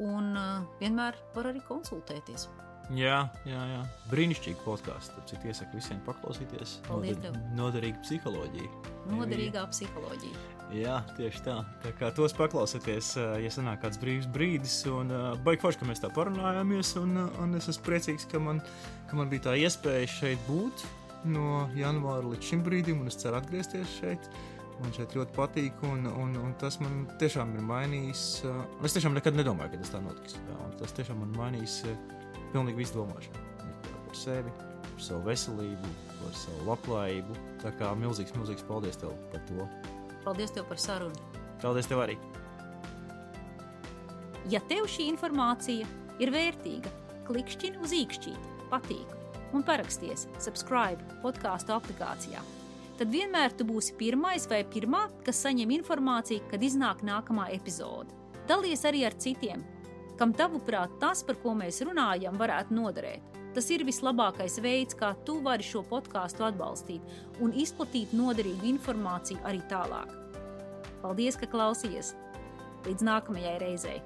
S1: un uh, vienmēr var arī konsultēties.
S2: Jā, jā, jā. Brīnišķīgi podkāsts, tāpēc iesaku visiem paklausīties.
S1: Paldies
S2: Noder,
S1: tev.
S2: Noderīga psiholoģija.
S1: Noderīgā psiholoģija.
S2: Jā, tieši tā. Tā kā tos paklausieties, ja sanāk kāds brīvs brīdis, un uh, baigi forši, ka mēs tā parunājāmies, un, uh, un es esmu priecīgs, ka man, ka man bija tā iespēja šeit būt no janvāra līdz šim brīdim, un es ceru atgriezties šeit. Man šeit ļoti patīk, un, un, un tas man tiešām ir mainījis. Uh, es tiešām nekad nedomāju, ka tas tā notiks. Jā, un tas tiešām man mainījis uh, pilnīgi visu domāšanu. Par sevi, par savu veselību, par savu labklājību. Tā kā milzīgs, milzīgs paldies tev par to.
S1: Paldies tev par sarunu.
S2: Paldies tev arī.
S1: Ja tev šī informācija ir vērtīga, klikšķini uz īkšķīti, patīk un paraksties subscribe podkāstu aplikācijā. Tad vienmēr tu būsi pirmais vai pirmā, kas saņem informāciju, kad iznāk nākamā epizode. Dalies arī ar citiem, kam tavuprāt tas, par ko mēs runājam, varētu noderēt. Tas ir vislabākais veids, kā tu vari šo podkāstu atbalstīt un izplatīt noderīgu informāciju arī tālāk. Paldies, ka klausies! Līdz nākamajai reizei!